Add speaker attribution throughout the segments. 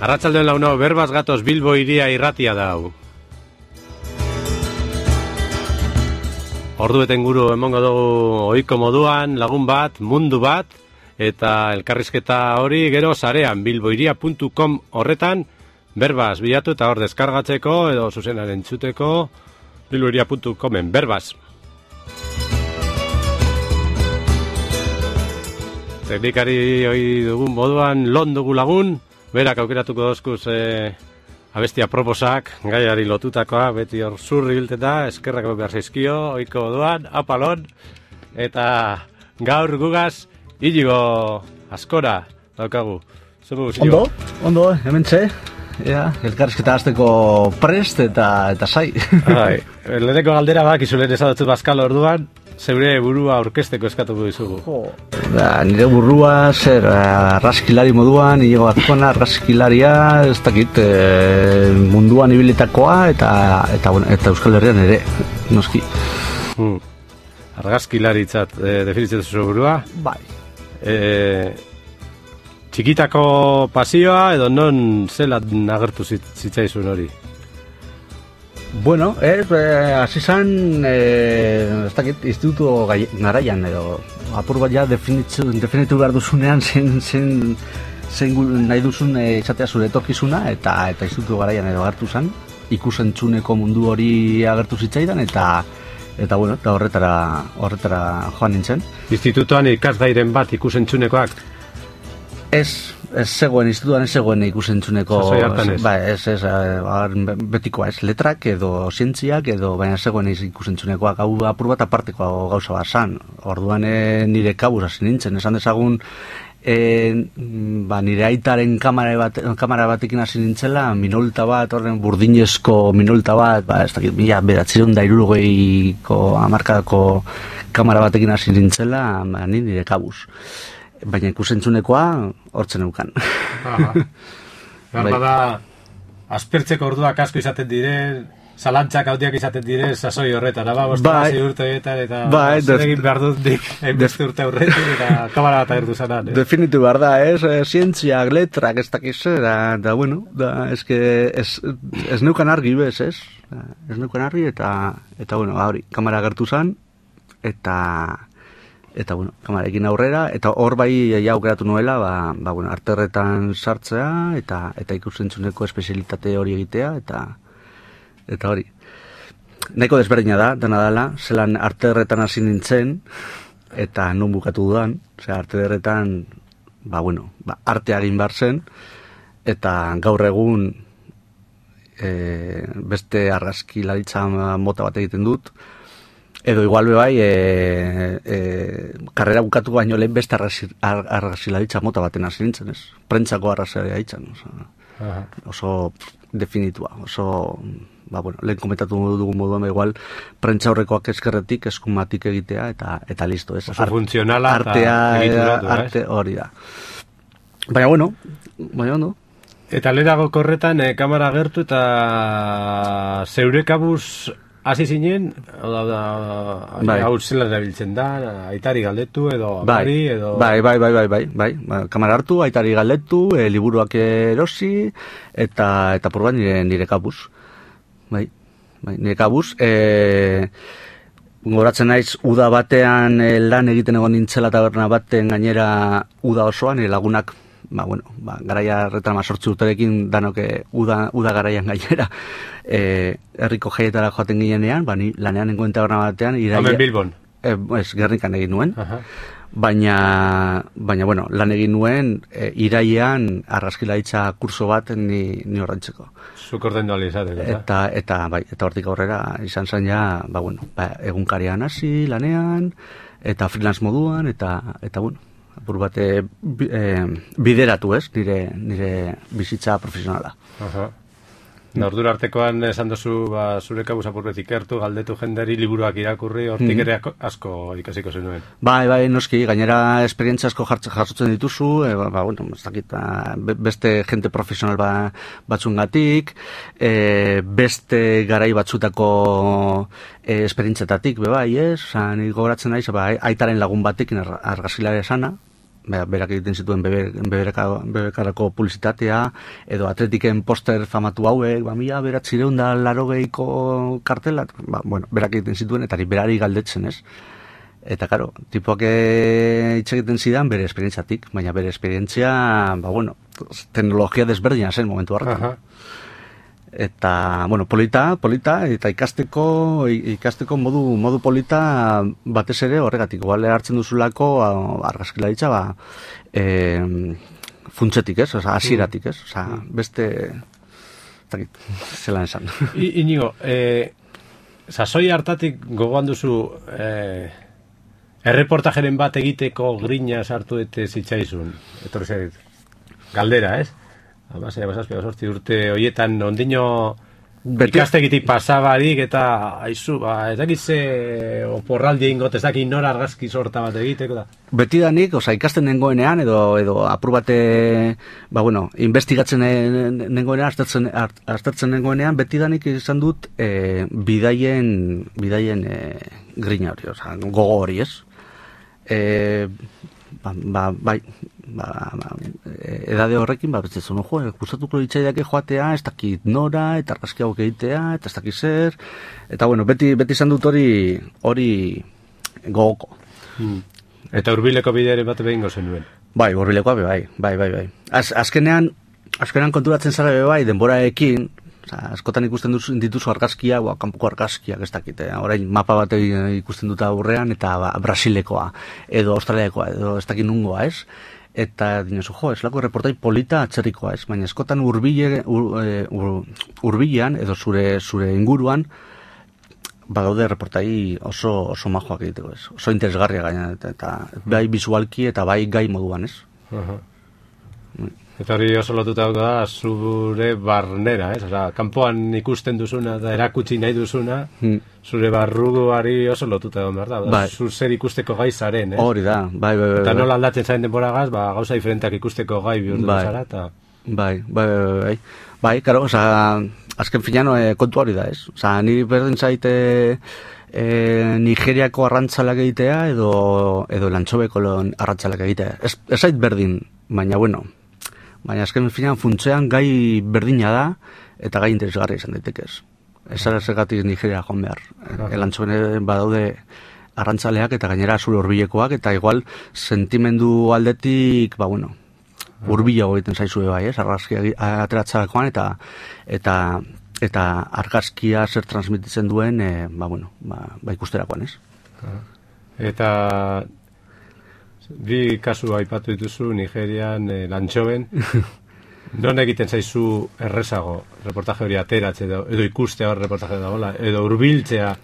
Speaker 1: Arratsaldeon launo, berbaz gatoz Bilbo iria irratia da hau. Ordueten guru emongo dugu ohiko moduan, lagun bat, mundu bat, eta elkarrizketa hori gero sarean bilboiria.com horretan berbaz bilatu eta hor deskargatzeko edo zuzenaren entzuteko bilboiria.comen berbaz. Teknikari hori dugun moduan lon dugu lagun, berak aukeratuko dozkuz abestia proposak, gaiari lotutakoa, beti hor zurri bilteta, eskerrak behar zaizkio, ohiko moduan, apalon, eta gaur gugaz, Inigo askora daukagu.
Speaker 2: Ondo, hemen txe, elkarrizketa hasteko prest eta sai.
Speaker 1: Leheneko galdera bak, izulen ezadotzut bazkal orduan, zeure burua aurkezteko eskatuko dizugu.
Speaker 2: Nire burua, arraskilari moduan, Inigo Azkona, arraskilaria, ez dakit, munduan ibilitakoa eta Euskal Herrian ere, noski.
Speaker 1: Argazkilaritzat definitzen duzu burua?
Speaker 2: Bai.
Speaker 1: Txikitako pasioa edo non zelan agertu zitzaizun hori?
Speaker 2: Bueno, hasi zan, ez dakit, instituto garaian edo apur bat ja definitu behar duzunean zen nahi duzun izatea zure etorkizuna eta instituto garaian edo agertu zan, ikusentzuneko mundu hori agertu zitzaidan eta horretara joan nintzen.
Speaker 1: Institutoan ikasgairen bat ikusentzunekoak?
Speaker 2: Ez zegoen, institutoan ez zegoen ikusentzuneko...
Speaker 1: Sasoi hartan ez?
Speaker 2: Ba, ez, betikoa ez, letrak edo zientziak edo, baina zegoen ikusentzunekoak, hau apur bat aparteko gauza bat zan. Orduan nire kabuz hasi nintzen, esan dezagun, nire aitaren kamera batekin hasi nintzela, minolta bat, horren burdinezko minolta bat, ez dakit, 1960ko hamarkadako kamera batekin hasi nintzela, nire kabuz. Baina ikusentzunekoa hortzen eukan.
Speaker 1: Bada, aspertzeko orduak asko izaten diren, zalantzak handiak izaten diren, sasoi horretan, bostasi urteetan, eta zer egin behar dut dik, hainbeste urte aurretik, eta kamara bat agertu zanan.
Speaker 2: Definitu behar da, zientziak, letrak, ez dakiz, da, bueno, ez neukan argi, bez, ez? Ez neukan argi, eta bueno, hori, kamara agertu zan, eta bueno, kamarekin aurrera, eta hor bai aukeratu nuela, bueno, arterretan sartzea, eta ikusentzuneko espezialitate hori egitea, eta hori. Nahiko desberdina da, dena dela, zelan arterretan hasi nintzen, eta non bukatu dudan, arterretan, artea egin behar zen, eta gaur egun beste argazkilaritza mota bat egiten dut, edo igual bai, karrera bukatu baino lehen beste argazkilaritza mota baten hasi nintzen, ez? Prentsako argazkilaritza ditzen, oso definitua, oso, lehen komentatu dugun moduan, igual, prentsa horrekoak eskerretik, eskumatik egitea, eta listo, ez?
Speaker 1: Oso funtzionala
Speaker 2: eta egituratu,
Speaker 1: arte
Speaker 2: hori da. Baina, ondo.
Speaker 1: Eta lehenago korretan, kamara agertu eta zeure kabuz hasi zinen, hau zelan erabiltzen da, aitari galdetu edo amari edo...
Speaker 2: Bai, kamara hartu, aitari galdetu, liburuak erosi, eta porban nire kabuz. Bai, nire kabuz. Goratzen naiz, uda batean lan egiten egon nintzela taberna baten gainera uda osoan, nire lagunak, garaia horretan 8 urterekin danok uda garaian gainera herriko jaietara joaten ginenean, ni lanean nengoen taberna batean
Speaker 1: Hemen Bilbon?
Speaker 2: Ez, Gernikan egin nuen. Baina, lan egin nuen irailean argazkilaritza kurso bat ni horrentzeko.
Speaker 1: Zuk ordendu izateko,
Speaker 2: eta hortik aurrera izan zen ja, egunkarian hasi lanean, eta freelance moduan, eta apur bate bideratu, ez, nire bizitza profesionala.
Speaker 1: Ordura artekoan esan duzu zure kabuz apurbetik ikertu, galdetu jenderi liburuak irakurri, hortik ere asko ikasiko zenuen.
Speaker 2: Bai, noski, gainera esperientzia asko jasotzen dituzu, beste jente profesional batzungatik, beste garai batzutako esperientziatatik, bai, ez? Ni gogoratzen naiz, aitaren lagun batekin argazkilaria sana, berak egiten zituen bebekarako publizitatea, edo atletiken poster famatu hauek, 1980ko kartelak, berak egiten zituen, eta berari galdetzen, ez? Eta, karo, tipoak hitz egiten zidan bere esperientziatik, baina bere esperientzia, teknologia desberdina zen momentu hartan. Eta, polita, eta ikasteko modu polita batez ere horregatik. Igual hartzen duzulako argazkilaritza, funtsetik, ez? Osa, hasieratik, ez? Osa, beste... zelan esan.
Speaker 1: Inigo, sasoi hartatik gogoan duzu erreportajeren bat egiteko grina sartu ete zitzaizun. Etorri zait. Galdera, ez? Amasea, basazpia, urte horietan ondino ikastegitik pasabarik eta aizu, ez dakit ze oporraldi ingot, ez dakit nora argazki sorta bat egiteko da.
Speaker 2: Betidanik, ikasten nengoenean, edo apur bate, investigatzen nengoenean, aztertzen nengoenean, betidanik izan dut bidaien grina hori, gogo hori, ez? Edade horrekin, betzezun, gustatuko litzaideake joatea, ez dakit nora, eta argazki hauek egitea, eta ez dakit zer, eta beti izan dut hori gogoko.
Speaker 1: Eta hurbileko bidearen bat behingo zenuen?
Speaker 2: Bai, hurbilekoa bai. Azkenean konturatzen zara bai, denboraekin, askotan ikusten dituzu argazkiak, kanpoko argazkiak, ez dakit, orain mapa bat ikusten dut aurrean, eta Brasilekoa, edo Australiakoa, edo ez dakit nungoa, ez? Eta dinosu, eslako reportai polita atzerrikoa, ez? Baina askotan hurbilean, edo zure inguruan, badaude reportai oso majoak egiteko, ez? Oso interesgarria gaina, eta bai visualki eta bai gai moduan, ez?
Speaker 1: Eta hori oso lotuta da zure barnera, ez? Osa, kanpoan ikusten duzuna eta erakutsi nahi duzuna, zure barruari oso lotuta egon behar da. Zur zer ikusteko gai zaren, ez?
Speaker 2: Hori da, bai.
Speaker 1: Eta nola aldatzen zaren denboragaz, gauza diferenteak ikusteko gai bihurtu zara, eta...
Speaker 2: Bai, karo, azken finean kontu hori da, ez? Niri berdin zaite Nigeriako arrantzalak egitea edo Lantxobeko arrantzalak egitea. Ez zait berdin, baina baina azken finean funtzean gai berdina da eta gai interesgarria izan daitekez. Ez ara zergatik Nigeria joan behar. Elantxoen badaude arrantzaleak eta gainera zure hurbilekoak eta igual sentimendu aldetik, hurbilago egiten zaizue bai, ez? Argazkia ateratzerakoan eta argazkia zer transmititzen duen, ikusterakoan, ez?
Speaker 1: Eta bi kasu aipatu dituzu Nigerian, Lantxoben. Non egiten zaizu errezago reportaje hori ateratzea edo ikustea hor reportaje dagoela, edo hurbiltzea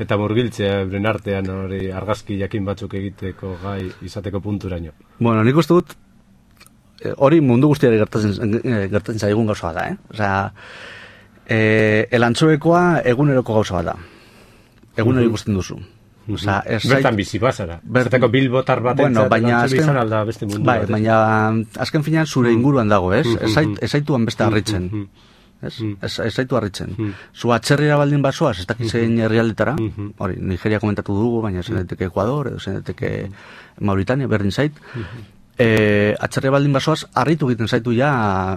Speaker 1: eta murgiltzea euren artean hori argazki jakin batzuk egiteko gai izateko punturaino?
Speaker 2: Nik uste dut hori mundu guztiari gertatzen zaigun gauza bat da, eh? Elantxobekoa eguneroko gauza bat da. Egunero ikusten duzu.
Speaker 1: Bertan bizi bazara. Bertako bilbotar batentzat elantxobe izan alda beste mundu bat.
Speaker 2: Baina azken finean zure inguruan dago, ez? Ez zaituan beste harritzen. Ez zaitu harritzen. Zu atzerrira baldin basoaz, ez dakitzen herrialdetara, hori, Nigeria komentatu dugu, baina zen daiteke Ecuador, edo zen daiteke Mauritania, berdin zait. Atzerrira baldin basoaz, harritu egiten zaitu ja,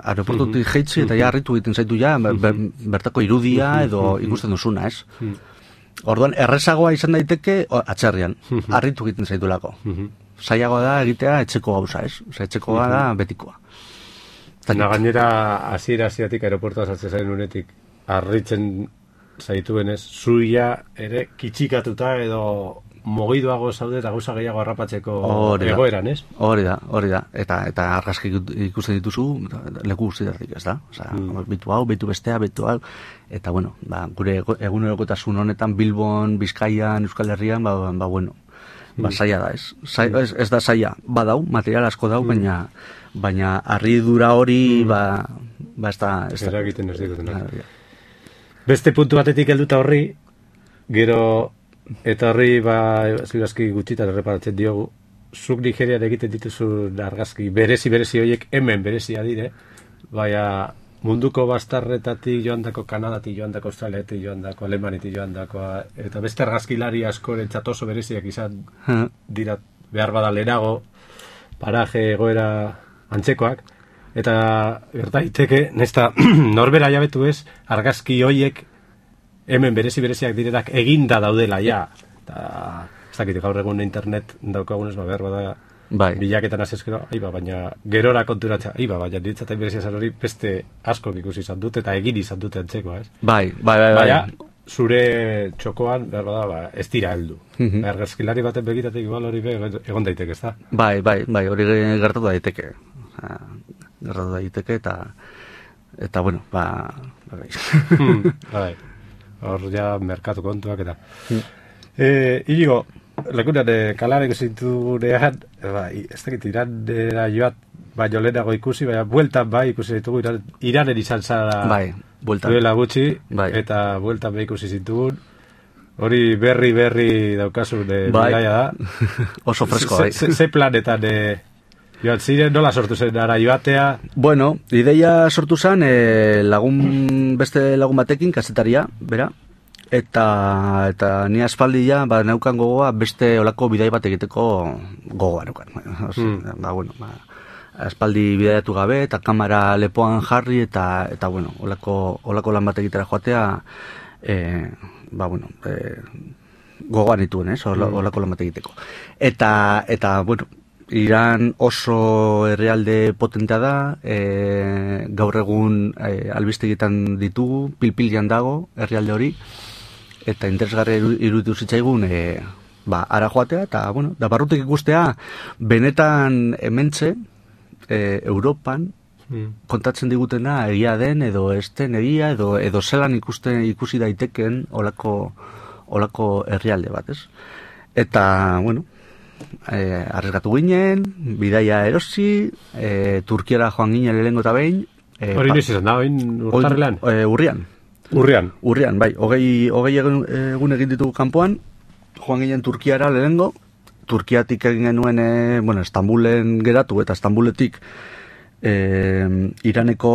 Speaker 2: aeroportutik jeitzi, eta ja harritu egiten zaitu ja, bertako irudia edo ikusten duzuna, ez? Orduan, errezagoa izan daiteke atzerrian, harritu egiten zaitulako. Zailagoa da egitea etxeko gauza, ez? Etxekoa da betikoa.
Speaker 1: Gainera, hasieratik aeroportua sartzen zaren unetik, harritzen zaituenez, zuia ere kitxikatuta edo mogiduago zaude eta gauza gehiago harrapatzeko egoeran, ez? Hori
Speaker 2: da. Eta argazki ikusten dituzu, leku guztietatik, ez da? Bitu hau, bitu bestea, bitu hau. Eta, gure egunerokotasun honetan, Bilbon, Bizkaian, Euskal Herrian, zaila da, ez? Ez da zaila, badau, material asko dau, baina harridura hori, ez da...
Speaker 1: Eragiten ez digutenak. Beste puntu batetik helduta horri, gero... Eta horri, zirazki gutxitan erreparatzen diogu, zuk Nigerian egiten dituzu argazki berezi horiek hemen berezia dire, baina munduko bastarretatik joandako, Kanadatik joandako, Australiatik joandako, Alemanitik joandako, eta beste argazkilari askorentzat oso bereziak izan dira behar bada lehenago, paraje egoera antzekoak, eta gerta daiteke, nesta norbera jabetu ez, argazki hoiek hemen bereziak direnak eginda daudela, ja. Eta, ez dakit, gaur egun internet daukagunez, behar bada, bilaketan azizkero, baina gerora konturatza, baina ditzatain berezia zan hori beste askok ikusi izan dut, eta egin izan dute antzekoa, ez?
Speaker 2: Bai.
Speaker 1: Baina, zure txokoan, behar bada, ez dira heldu. Argazkilari baten begitatik, igual hori egon daiteke, ez da?
Speaker 2: Bai, hori gertatu daiteke. Gertatu daiteke, eta bueno,
Speaker 1: bai. Hor ja merkatu kontuak eta. Inigo, lekunan kalarek zintunean, ez dakit Iranera joat, baina lehenago ikusi, baina bueltan ikusi ditugu, Iranen izan zara duela gutxi, eta bueltan ikusi zintugun. Hori berri daukasun bidaia da.
Speaker 2: Oso fresko, bai.
Speaker 1: Ze planetan joan ziren, nola sortu zen ara joatea?
Speaker 2: Bueno, ideia sortu zen beste lagun batekin, kasetaria, bera, eta ni aspaldi ja, neukan gogoa beste olako bidai bat egiteko gogoa neukan. Aspaldi bidaiatu gabe, eta kamera lepoan jarri, eta bueno, olako lan bat egitera joatea, gogoan dituen, olako lan bat egiteko. Eta, bueno, Iran oso herrialde potentea da, gaur egun albistegietan ditugu, pilpilian dago herrialde hori, eta interesgarri iruditu zitzaigun ara joatea, eta bueno, da barrutik ikustea, benetan hementxe, Europan, kontatzen digutena egia den, edo ez den egia, edo zelan ikusi daiteken olako herrialde bat, ez? Eta, bueno, arriskatu ginen, bidaia erosi, Turkiara joan ginen lehengo eta behin.
Speaker 1: Hori noiz izan da, urtarrilan?
Speaker 2: Urrian, bai. Hogei egun egin ditugu kanpoan, joan ginen Turkiara lehengo, Turkiatik egin genuen, Istanbulen geratu, eta Istanbuletik Iraneko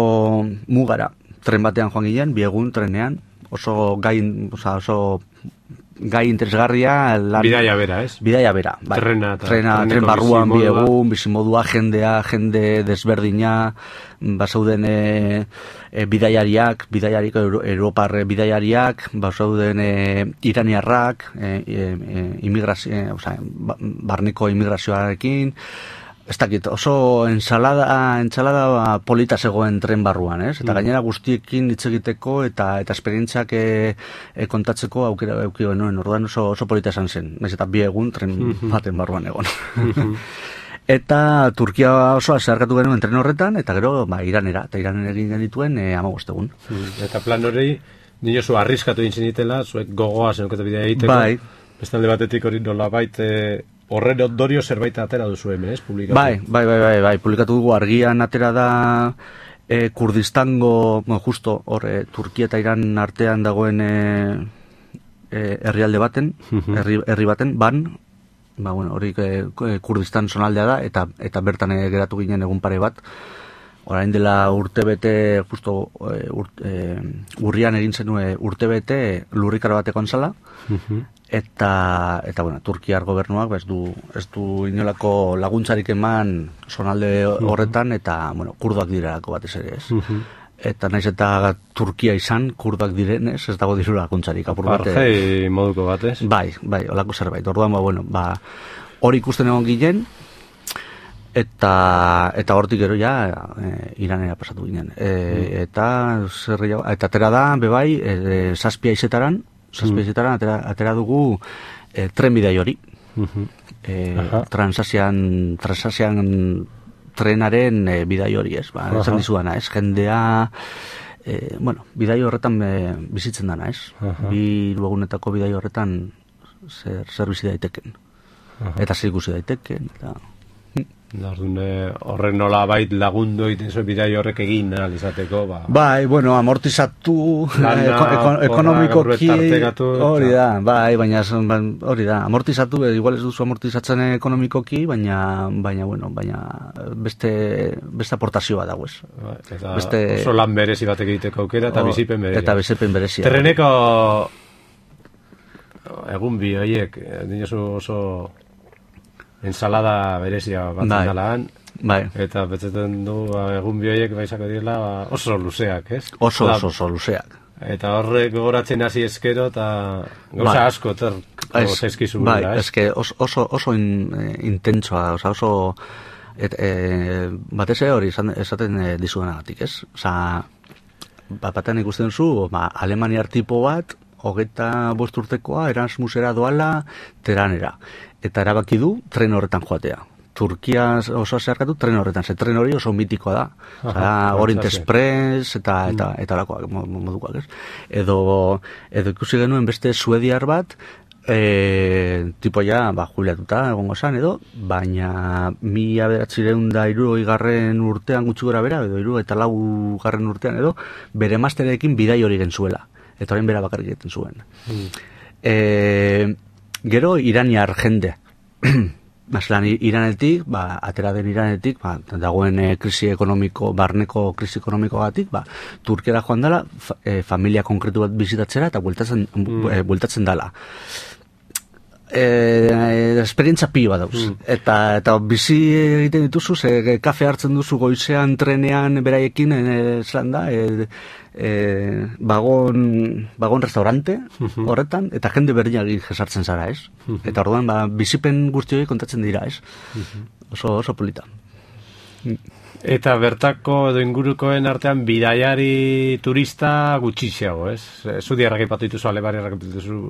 Speaker 2: mugara tren batean joan ginen, 2 egun trenean, oso gai interesgarria.
Speaker 1: Bidaia bera, ez?
Speaker 2: Bidaia bera, bai. Tren barruan, 2 egun, bizimodua, jende desberdina, basauden bidaiariak, Europar bidaiariak, basauden iraniarrak, barneko immigrazioarekin, ez dakit, oso ensalada polita zegoen tren barruan, ez? Eta gainera guztiekin hitz egiteko eta esperientziak kontatzeko aukera eduki genuen, orduan oso polita esan zen, naiz eta 2 egun tren baten barruan egon. Eta Turkia osoa zeharkatu genuen tren horretan, eta gero Iranera, eta Iranen egin genituen 15 egun.
Speaker 1: Eta plan hori, dinosu arriskatu egin zinitela, zuek gogoa zenuketa bidea egiteko, bestalde batetik hori nolabait horren ondorio zerbait atera duzu hemen, ez? Publikatu.
Speaker 2: Bai, publikatu dugu argian atera da Kurdistango, justo hor Turkia eta Iran artean dagoen herrialde baten, herri baten, hori Kurdistan zonaldea da, eta bertan geratu ginen egun pare bat. Orain dela urtebete, justo urrian egin zenuen urtebete lurrikara batekoan zala, eta Turkiar gobernuak ez du inolako laguntzarik eman zonalde horretan, eta kurduak direlako batez ere, ez? Eta naiz eta Turkia izan, kurduak direnez, ez dago diru laguntzarik apur bate.
Speaker 1: Argei moduko batez?
Speaker 2: Bai, olako zerbait. Orduan, hori ikusten egon ginen, eta hortik gero ja Iranera pasatu ginen. Eta atera da, bebai, 7 haizetaran atera dugu trenbidai hori. Transasian trenaren bidai hori, ez? Esan dizudana, ez? Jendea, bidai horretan bizitzen dana, ez? 2 egunetako bidai horretan zer bizi daiteken. Eta zer ikusi daiteken, eta...
Speaker 1: Horren nola bait lagundu egiten zuen bidai horrek egin izateko,
Speaker 2: Bai, amortizatu ekonomikoki hori da, baina hori da, amortizatu, igual ez duzu amortizatzen ekonomikoki, baina beste aportazioa dago, ez?
Speaker 1: Eta oso lan berezi bat egiteko aukera eta bizipen berezi.
Speaker 2: Eta bizipen berezi.
Speaker 1: Terreneko egun bi horiek, dinosu oso ensalada berezia bat dalaan.
Speaker 2: Bai.
Speaker 1: Eta betzaten du egun bioiek baizako direla oso luzeak, ez?
Speaker 2: Oso luzeak.
Speaker 1: Eta horrek gogoratzen hasi eskero eta gauza asko zaizkizu
Speaker 2: bai,
Speaker 1: gura, ez?
Speaker 2: Eske oso intentsoa, oso batez hori esaten dizudanagatik, ez? Osa, batean ikusten zu, alemaniar tipo bat, 25 urtekoa, Erasmusera doala, Teheranera. Eta erabaki du tren horretan joatea. Turkia oso zeharkatu tren horretan, ze tren hori oso mitikoa da. Orient Express eta alakoak modukoak, ez? Edo ikusi genuen beste suediar bat, tipo ja, jubilatuta egongo zan edo, baina 1960 urtean gutxi gora bera, edo 64 urtean edo, bere masterekin bidai hori genzuela. Eta horren bera bakarrik egiten zuen. Gero, iraniar jende. Masalan, Iranetik, atera den Iranetik, dagoen krisi ekonomiko, barneko krisi ekonomikoagatik, Turkiara joan dela, familia konkretu bat bizitatzera eta bueltatzen dela. Esperientza pilo bat dauz. Eta bizi egiten dituzu, kafe hartzen duzu goizean, trenean, beraiekin, zelan da, vagon restaurante horretan, eta jende berdinak jesartzen zara, ez? Eta orduan, bizipen guzti hori kontatzen dira, ez? Oso polita.
Speaker 1: Eta bertako edo ingurukoen artean bidaiari turista gutxiago, ez? Zudi errakipatu dituzu, alebari errakipatu dituzu,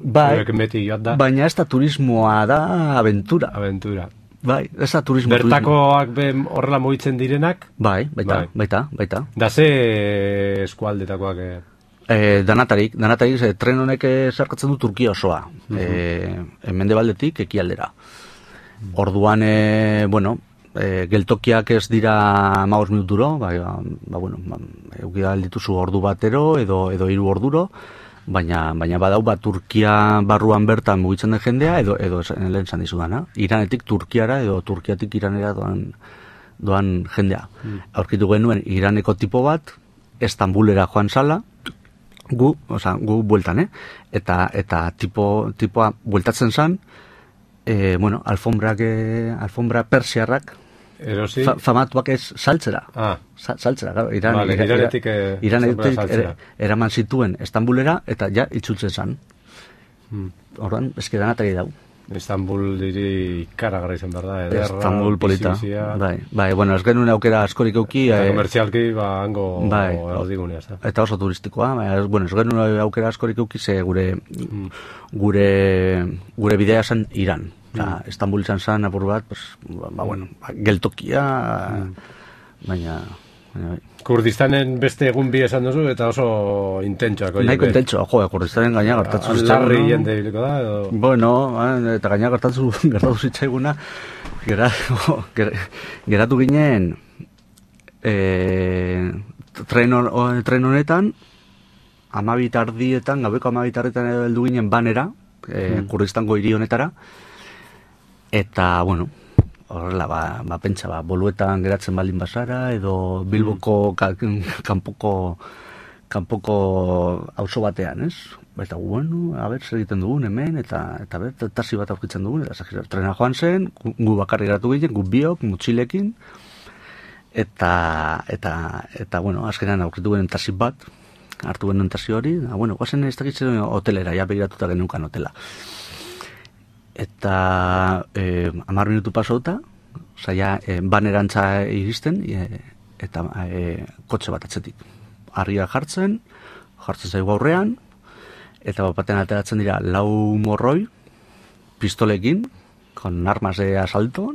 Speaker 1: beti joat da.
Speaker 2: Baina ez da turismoa da aventura.
Speaker 1: Aventura.
Speaker 2: Bai, ez da turismo.
Speaker 1: Bertakoak horrela mugitzen direnak?
Speaker 2: Bai, baita.
Speaker 1: Da ze eskualdetakoak?
Speaker 2: Danatarik, tren honek zarkatzen du Turkia osoa. Mendebaldetik ekialdera. Orduan, geltokiak ez dira 15 minuturo, eukida dituzu ordu batero edo 3 orduro, baina badau Turkia barruan bertan mugitzen den jendea edo lehen zan dizudana, Iranetik Turkiara edo Turkiatik Iranera doan jendea. Aurkitu genuen Iraneko tipo bat, Estambulera joan zala, gu bueltan, eta tipoa bueltatzen zan, alfombra persiarrak famatuak ez saltzera. Saltzera, claro.
Speaker 1: Iranetik
Speaker 2: eraman zituen Estambulera eta ja itzultzen zan. Orduan, eski danatari dau.
Speaker 1: Estambul diri ikaragarra izan behar da, ederra.
Speaker 2: Estambul polita. Bai, ez genuen aukera askorik euki.
Speaker 1: Komertzialki, hango erdigunea.
Speaker 2: Eta oso turistikoa. Ez genuen aukera askorik euki, ze gure bidea zen Iran. Estambul izan zen apur bat, geltokia, baina...
Speaker 1: Kurdistanen beste egun bi esan duzu eta oso intentsoak.
Speaker 2: Nahiko intentsoa, Kurdistanen gaina gertatu zitzaigun.
Speaker 1: Larri jende biliko da, edo...
Speaker 2: Bueno, eta gaina gertatu zitzaiguna, geratu ginen tren honetan, gabeko 12 heldu ginen banera, Kurdistango hiri honetara, eta, horrela, pentsa, Boluetan geratzen baldin bazara, edo Bilboko kanpoko auzo batean, ez? Eta, zer egiten dugun hemen, eta taxi bat aurkitzen dugun, eta trena joan zen, gu bakarri geratu ginen, gu biok, mutxilekin, eta, azkenean aurkitu genen taxi bat, hartu genen taxi hori, guazen ez dakitzen hotelera, ja begiratuta genukan hotela. Eta 10 minutu pasauta, banerantza iristen, eta kotxe bat atzetik. Argia jartzen zaigu aurrean, eta baten ateratzen dira 4 morroi, pistolekin, con armas de asalto,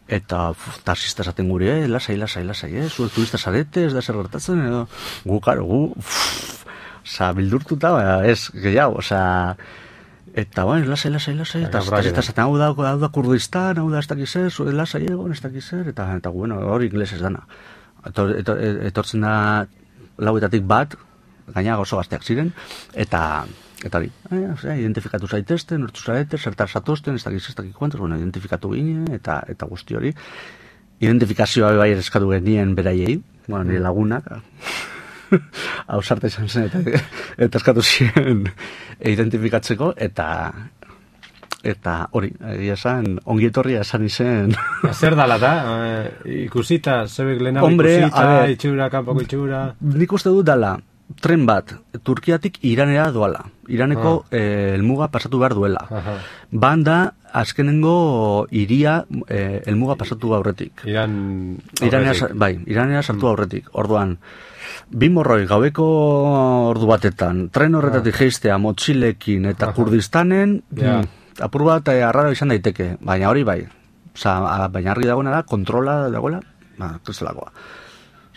Speaker 2: eta taxista esaten gure, lasai, zuek turista zarete, ez da zer gertatzen, edo gu, bildurtuta, ez, gehiago, eta lasai, eta taxista esaten hau da Kurdistan, hau da ez dakizer, lasai egon, ez dakizer, eta hori inglés ez dana. Etortzen da 4etatik bat, gaina oso gazteak ziren, eta hori, identifikatu zaitezten, nortu zarete, zertar zatozten, ez dakik kuantos, identifikatu ginen, eta guzti hori. Identifikazioa bai eskatu genien beraiei, nire lagunak, hau sarta izan zen, eta eskatu ziren identifikatzeko, eta Eta hori, egia esan, ongietorria esan izen.
Speaker 1: Zer dala da? Ikusita, zebek lehenago ikusita, itxura, kanpoko itxura...
Speaker 2: Nik uste dut dala, tren bat, Turkiatik Iranera doala. Iraneko helmuga pasatu behar duela. Banda, azkenengo iria helmuga pasatu aurretik. Iranera sartu aurretik. Orduan, bi morroi gaueko ordu batetan, tren horretatik jeistea motxilekin eta Kurdistanen... Apur bat arraro izan daiteke, baina hori bai. Baina argi dagoena da, kontrola dagoela, kristelakoa.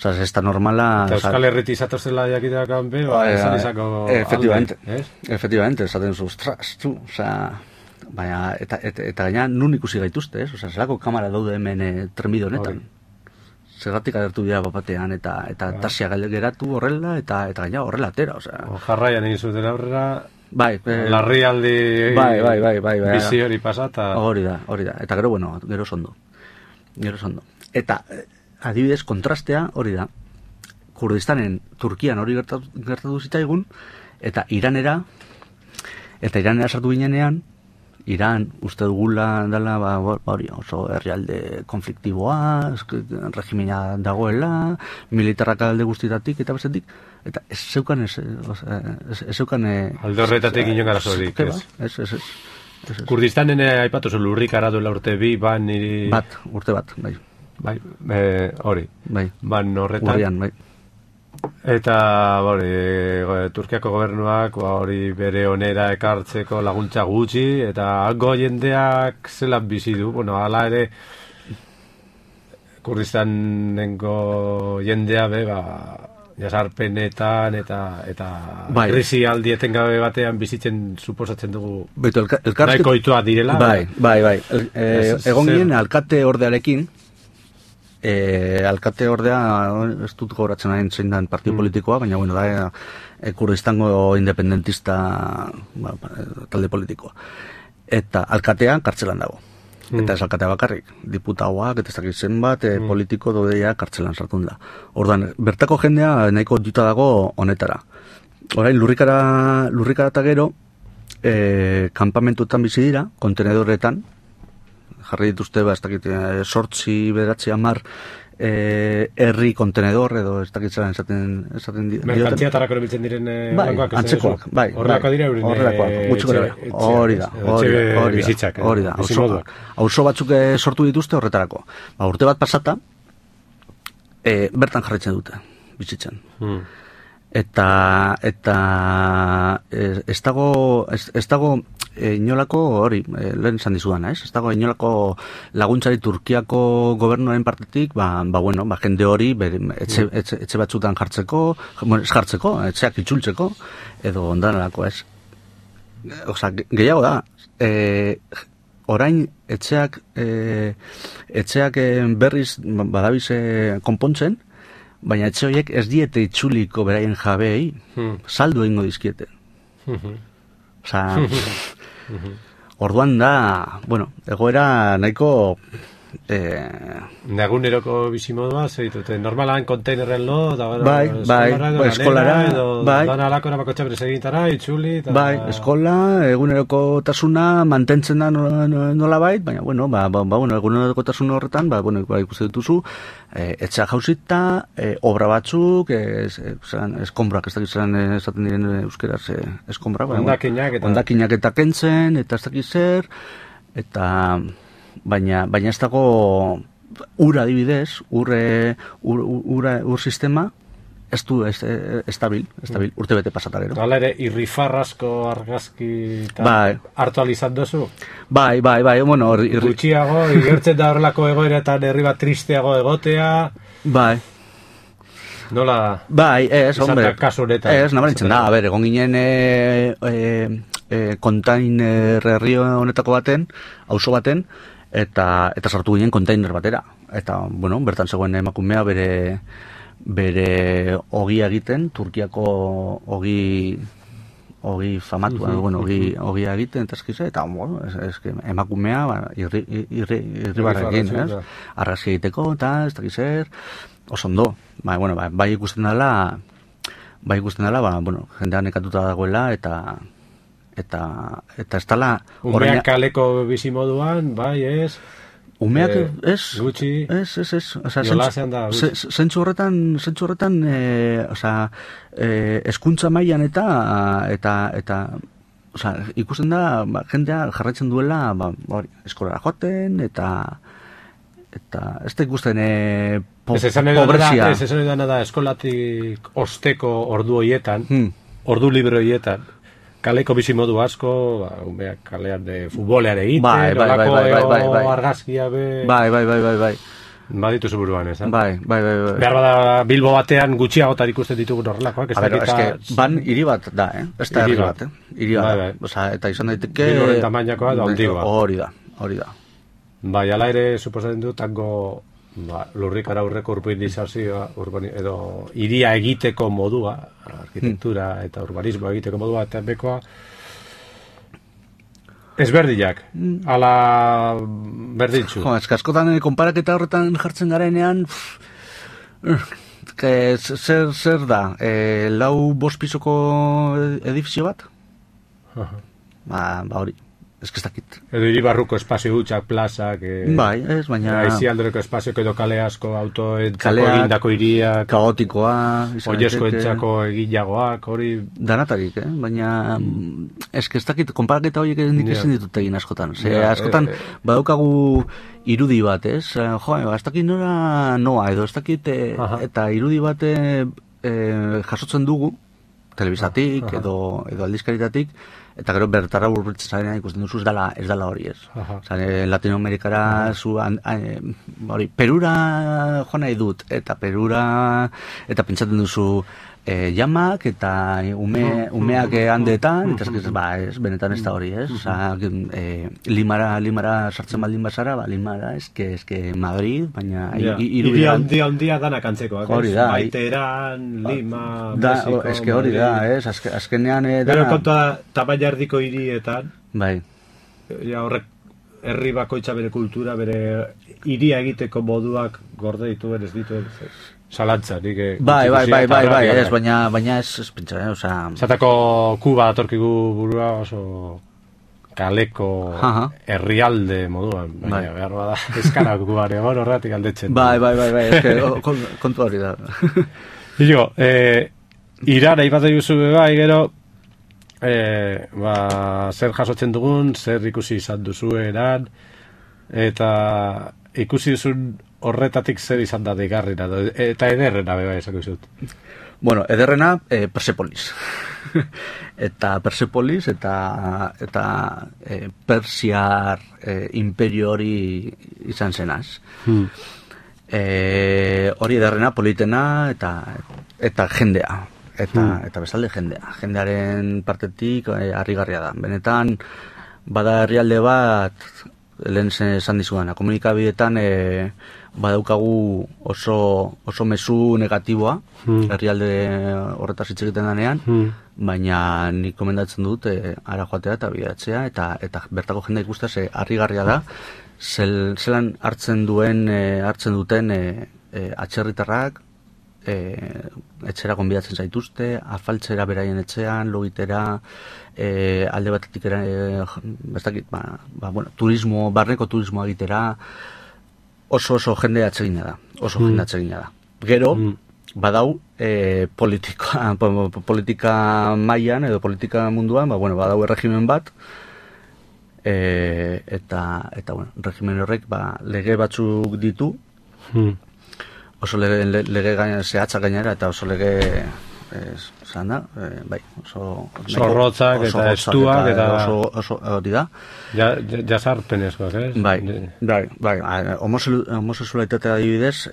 Speaker 2: Ez da normala...
Speaker 1: Eta Euskal Herriti izatozela jakiteakan be, izan izako
Speaker 2: alde, efectivamente, esaten zu, ostras, tu, baina, eta gaina nun ikusi gaituzte, zelako kamara daude hemen trenbide honetan. Zergatik agertu dira bapatean, eta tasia geratu horrela, eta gaina horrela atera,
Speaker 1: jarraian egin zuten aurrera...
Speaker 2: Bai,
Speaker 1: larrialdi bizi hori pasata.
Speaker 2: Hori da. Eta gero, gero sondo. Eta, adibidez, kontrastea hori da. Kurdistanen, Turkian hori gertatu zitaigun, eta Iranera sartu ginenean, Iran uste dugula dela, hori oso herrialde konfliktiboa, regimina dagoela, militarrak alde guztietatik eta bestetik, eta ez zeukan
Speaker 1: alde horretatik inoen gara zorik,
Speaker 2: ez.
Speaker 1: Kurdistanen aipatu zu lurrikara duela urte bi,
Speaker 2: urte bat, bai.
Speaker 1: Hori.
Speaker 2: Bai.
Speaker 1: Ban horretan.
Speaker 2: Urrian, bai.
Speaker 1: Eta Turkiako gobernuak hori bere onera ekartzeko laguntza gutxi, eta hango jendeak zelan bizi du, hala ere Kurdistanengo jendea jasarpenetan eta krisi aldi etengabe batean bizitzen suposatzen dugu nahiko ohitua direla.
Speaker 2: Bai. Egon ginen alkate ordearekin, alkate ordea ez dut gogoratzen hain zein dan partio politikoa, baina da Kurdistango independentista talde politikoa. Eta alkatea kartzelan dago. Eta ez alkatea bakarrik, diputauak, eta ez dakit zenbat, politiko dodeia kartzelan sartun da. Ordan, bertako jendea nahiko duta dago honetara. Orain, lurrikara eta gero, kampamentuetan bizi dira, kontenedoretan, jarri dituzte, ez dakit, 8-9 herri kontenedor, edo ez dakit zelan esaten dira.
Speaker 1: Merkantziatarako erabiltzen diren
Speaker 2: horrekoak, antzekoak, bai.
Speaker 1: Horrekoak dira euren
Speaker 2: hori da. Auzo batzuk sortu dituzte horretarako. Urte bat pasata, bertan jarraitzen dute, bizitzen. Eta ez dago inolako hori, lehen esan dizudana, ez dago inolako laguntzari Turkiako gobernuaren partetik, jende hori etxe batzutan jartzeko, etxeak itzultzeko, edo ondanarako, ez. Gehiago da, orain etxeak berriz badabiz konpontzen, baina etxe horiek ez diete itzuliko beraien jabeei, saldu egingo dizkiete. Orduan da, egoera nahiko...
Speaker 1: Naguneroko bizimodua, zeitute, normalan konteinerren lo,
Speaker 2: eskolara,
Speaker 1: dan alako erabakotxa berez egintara, itzuli...
Speaker 2: eskola, eguneroko tasuna mantentzen da nola bait, baina, eguneroko tasun horretan, ikusten dituzu, etxea jauzita, obra batzuk, eskombrak, ez dakit zelan esaten diren euskeraz eskombrak, ondakinak eta kentzen, eta ez dakit zer, eta... Baina ez dago ura adibidez, ur sistema ez du estabil, urte bete pasata gero.
Speaker 1: Hala ere, irrifarrasko argazki hartu alizat dozu?
Speaker 2: Bai,
Speaker 1: gutxiago, igertzen da horrelako egoeretan herri bat tristeago egotea.
Speaker 2: Bai.
Speaker 1: Nola?
Speaker 2: Bai, hombre.
Speaker 1: Kasu honetan.
Speaker 2: Nabaritzen da, berton ginen kontainer herri honetako baten, auzo baten, eta sartu ginen kontainer batera. Eta, bertan zegoen emakumea bere ogia egiten, Turkiako ogi famatua, ogia egiten, eta eskize, eta, emakumea irribarra egin, argazki egiteko, eta ez dakizer, oso ondo. Bai ikusten dela, jendean nekatuta dagoela, eta ez dala...
Speaker 1: Umeak kaleko bizimoduan, bai, ez?
Speaker 2: Umeak, ez?
Speaker 1: Gutxi?
Speaker 2: Ez. Osa,
Speaker 1: Jolasean da, gutxi?
Speaker 2: Zentzu horretan, eskuntza mailan eta osa, ikusten da, jendea jarraitzen duela, eskolara joaten, eta ez da ikusten pobrezia.
Speaker 1: Ez esan edana da, eskolatik osteko ordu horietan, ordu libre horietan, kaleko bizimodu asko, umeak kalean de futbolean egiten, olako argazkia be...
Speaker 2: Bai.
Speaker 1: Baditu zuburuan, ez?
Speaker 2: Bai.
Speaker 1: Behar bada Bilbo batean gutxiagotan ikusten ditugun horrelakoak.
Speaker 2: Ban hiri bat da, ez da herri bat, hiri bat.
Speaker 1: Bai.
Speaker 2: Osa, eta izan daiteke...
Speaker 1: Bilboren tamainakoa da ondigoa.
Speaker 2: Hori da.
Speaker 1: Bai, ala ere, suposatzen du, tango lurrikara aurreko urbanizazioa, edo hiria egiteko modua, arkitektura eta urbanismo egiteko modua, eta bekoa, ezberdinak, ala berdintzu.
Speaker 2: Askotan konparaketa horretan jartzen garenean, zer da, 4-5 pisoko edifizio bat? Hori. Ez que ez dakit.
Speaker 1: Edo hiribarruko espazio hutsak, plazak...
Speaker 2: Bai, ez, baina...
Speaker 1: Aizialdoreko espazio edo kale asko, autoentzako egindako hiriak...
Speaker 2: Kaotikoa...
Speaker 1: Oiezkoentzako egilagoak, hori...
Speaker 2: Danatarik, baina... Ez que ez dakit, konparaketa horiek nik ezin ditut egin askotan. Askotan, badaukagu irudi bat, ez? Ez dakit noa, edo ez dakit... Eta irudi bat jasotzen dugu, telebisatik, edo aldizkaritatik, eta gero bertara urbiltzen zarenean ikusten duzu ez dala hori, ez. Latinoamerikara Perura joan nahi dut, eta pentsatzen duzu jamak, eta umeak handeetan, eta ez, benetan ez da hori, ez. Limara sartzen baldin bazara, Limara, eske Madrid, baina
Speaker 1: irudian... Handia danak antzekoak,
Speaker 2: hori da.
Speaker 1: Baiteran, Lima, Mexiko...
Speaker 2: Eske hori da, ez, azkenean...
Speaker 1: Gero kontua tamaina erdiko hirietan...
Speaker 2: Bai.
Speaker 1: Horrek, herri bakoitza bere kultura, bere hiria egiteko moduak gorde dituen, ez dituen... Zalantza, nik...
Speaker 2: Bai, ez, baina ez pentsa, oza...
Speaker 1: Zatako Kuba datorkigu burua oso kaleko herrialde moduan, baina behar bada eskara Kubare, horretik aldetzen.
Speaker 2: Bai, eske kontu hori da.
Speaker 1: Igo, irara ipatzen duzu bai, gero, zer jasotzen dugun, zer ikusi izan duzu eran, eta ikusi duzun horretatik zer izan da deigarrena, eta ederrena beba esako izut.
Speaker 2: Bueno, ederrena Persepolis. Eta Persepolis eta Persiar imperio hori izan zenaz. Hori ederrena, politena eta jendea. Eta bestalde jendea. Jendearen partetik harrigarria da. Benetan, bada herrialde bat, lehen esan dizudan, komunikabideetan badaukagu oso mezu negatiboa, herrialde horretaz hitz egiten denean, baina nik komendatzen dut ara joatea eta bidatzea, eta bertako jendea ikustea harrigarria da, zelan hartzen duten atzerritarrak, etxera gonbidatzen zaituzte, afaltzera beraien etxean, logitera, alde batetik barneko turismoa egitera, oso jende atsegina da. Gero, badau politika mailan edo politika munduan, badau erregimen bat, eta regimen horrek lege batzuk ditu, oso lege zehatzak gainera, eta oso lege zan da, oso
Speaker 1: zorrotzak eta estuak eta
Speaker 2: oso hori da.
Speaker 1: Jazarpenezkoak, ez?
Speaker 2: Bai, homosexualitatea adibidez,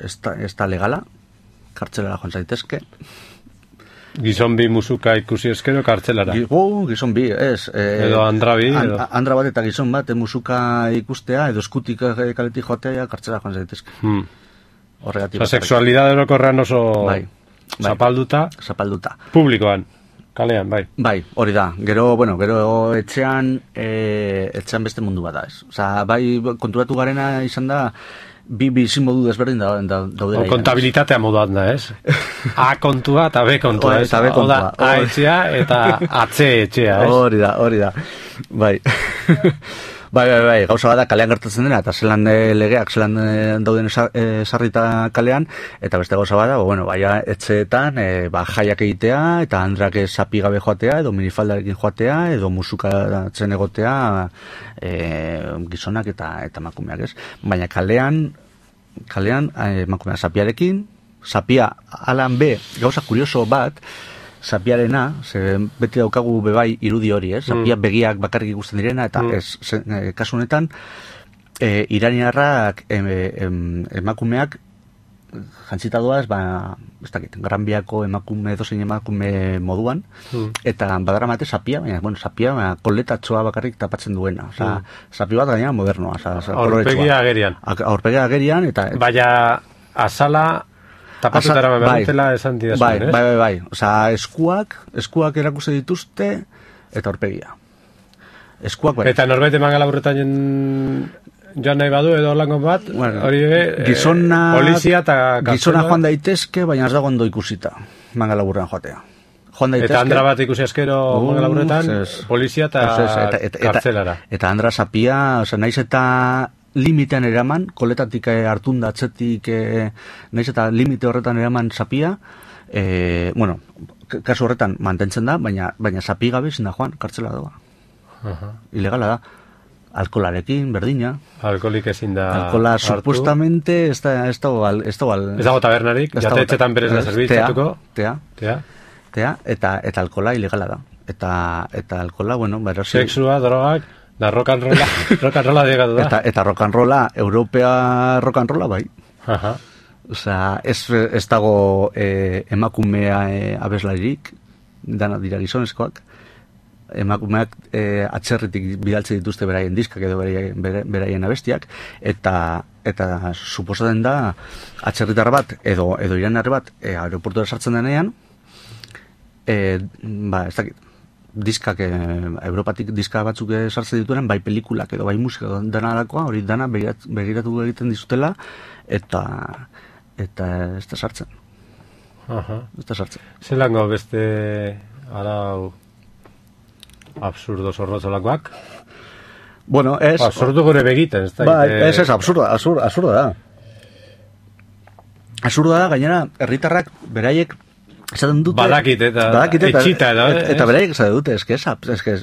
Speaker 2: ez da legala, kartzelara joan zaitezke.
Speaker 1: Gizon bi musuka ikusi eskero kartzelara.
Speaker 2: Gizon bi, ez.
Speaker 1: Edo andra bi.
Speaker 2: Andra bat eta gizon bat musuka ikustea, edo eskutik kaletik joatea kartzelara joan zaitezke.
Speaker 1: Osa, sexualidade orokorrean oso zapalduta. Publikoan, kalean, bai.
Speaker 2: Bai, hori da. Gero etxean beste mundu bat da, ez. Osa, bai, konturatu garena izan da, bi bizimodu desberdin daudela.
Speaker 1: Kontabilitatea moduan da, ez? A kontua eta B kontua, ez?
Speaker 2: Eta B kontua.
Speaker 1: A etxea eta AC etxea, ez?
Speaker 2: Hori da. Bai. Bai, gauza bada kalean gertatzen dena, eta zelan legeak, zelan dauden sarrita kalean, eta beste gauza bada, baina etxeetan, jaiak egitea, eta andrak sapi gabe joatea, edo minifaldarekin joatea, edo musikatzen egotea, gizonak eta emakumeak, ez? Baina kalean emakumeak sapiarekin, sapia alan B, gauza kurioso bat, sapiarena, beti daukagu bebai irudi hori, sapia begiak bakarrik ikusten direna, eta kasu honetan, iraniarrak emakumeak jantzita doaz, ez dakit, Gran Biako dozein emakume moduan, eta badara mate sapia, sapia koletatxoa bakarrik tapatzen duena, sapi bat gaina modernoa.
Speaker 1: Aurpegia agerian.
Speaker 2: Aurpegia agerian, eta...
Speaker 1: Baina, azala... Tapatutara behar esan didazuen, ez?
Speaker 2: Bai. Osa, eskuak erakuste dituzte, eta aurpegia. Eskuak bai.
Speaker 1: Eta norbait eman galaburretan joan nahi badu, edo lango bat, hori polizia eta kartzela.
Speaker 2: Gizona joan daitezke, baina ez dago ondo ikusita, mangalaburrean joatea.
Speaker 1: Eta andra bat ikusi askero mangalaburretan, polizia eta kartzelara.
Speaker 2: Eta andra sapia, naiz eta... limitean eraman, koletatik hartun da atzetik, naiz eta limite horretan eraman sapia, kasu horretan mantentzen da, baina sapi gabe ezin da joan, kartzela doa. Ilegala da. Alkolarekin, berdina.
Speaker 1: Alkolik ezin da
Speaker 2: alkola, hartu. Supuestamente, ez dago
Speaker 1: tabernarik, jatetxetan berez da zerbitzatuko.
Speaker 2: Tea, eta alkola ilegala da. Eta alkola,
Speaker 1: sexua, drogak, da rock'n'rolla digatu da.
Speaker 2: Eta rock'n'rolla, Europea rock'n'rolla bai. Osea, ez dago emakumea abeslaririk, dana dira gizonezkoak. Emakumeak atzerritik bidaltzen dituzte beraien diskak edo beraien abestiak, eta suposatzen da atzerritar bat edo iranar bat aeroportura sartzen denean, ez dakit, diskak, Europatik diska batzuk sartzen dituenan, bai pelikulak edo bai musika dana alakoa, hori dana begiratu egiten dizutela, eta ez da sartzen. Ez da sartzen.
Speaker 1: Zelango beste arau absurdo zorrotzolakoak? Sortu gure begiten, ez da?
Speaker 2: Ez, absurda da. Absurda da, gainera, herritarrak beraiek esaten dute...
Speaker 1: Badakit eta etxita edo,
Speaker 2: eta beraiek esaten dute,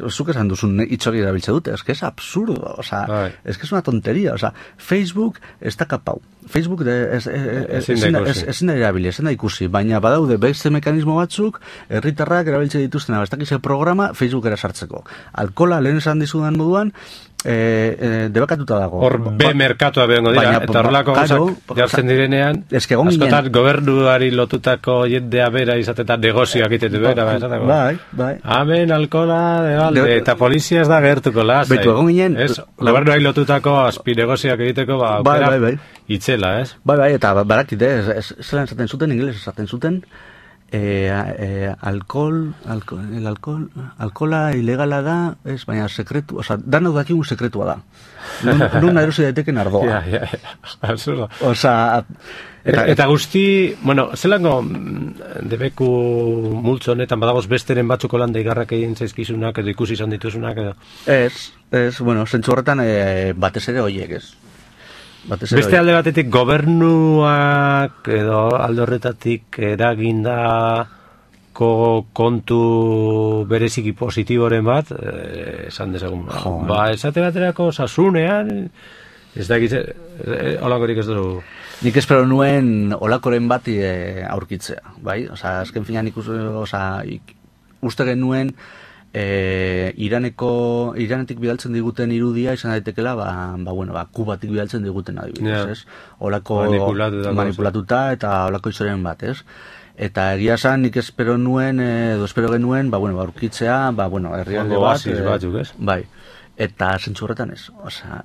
Speaker 2: zuk esan duzun itxori erabiltze dute, es absurdo, es una tonteria, Facebook ez da kapau. Facebook ezin da erabili, ezin da ikusi, baina badaude beste mekanismo batzuk, herritarrak erabiltze dituztena, ez dakize programa Facebookera sartzeko. Alkola, lehen esan dizudan moduan, debakatuta dago.
Speaker 1: Hor merkatua behengo dira, eta horrelako gauzak jartzen direnean, askotan gobernuari lotutako jendea bera izatetan negozioak itetu bera,
Speaker 2: bai.
Speaker 1: Amen, alkola, eta polizia ez da gertuko lasai.
Speaker 2: Betu, egon ginen...
Speaker 1: Gobernuari lotutako azpi negozioak egiteko, itzela, ez?
Speaker 2: Bai, eta barakit, zelan esaten zuten, ingeles esaten zuten, alkola ilegala da, ez, baina sekretu, dana dakigun sekretua da. Nun erosi daiteken ardoa.
Speaker 1: Absurdo.
Speaker 2: Eta
Speaker 1: guzti, zelango debeku multzo honetan badagoz besteren batzuko landa igarrak egin zaizkizunak, edo ikusi izan dituzunak, edo?
Speaker 2: Ez, zentzu horretan batez ere horiek, ez.
Speaker 1: Beste alde batetik gobernuak edo alde horretatik eragindako kontu bereziki positiboren bat, esan dezagun. Esate baterako sasunean, ez da egitze, olakorik ez dugu.
Speaker 2: Nik espero nuen olakoren bat aurkitzea, bai? Azken finan uste genuen Iranetik bidaltzen diguten irudia izan daitekela, Kubatik bidaltzen diguten adibidez, ez? Olako manipulatuta eta olako izoren bat, ez? Eta egia esan nik espero genuen, aurkitzea, herrialde bat, bai. Eta zentzu horretan ez.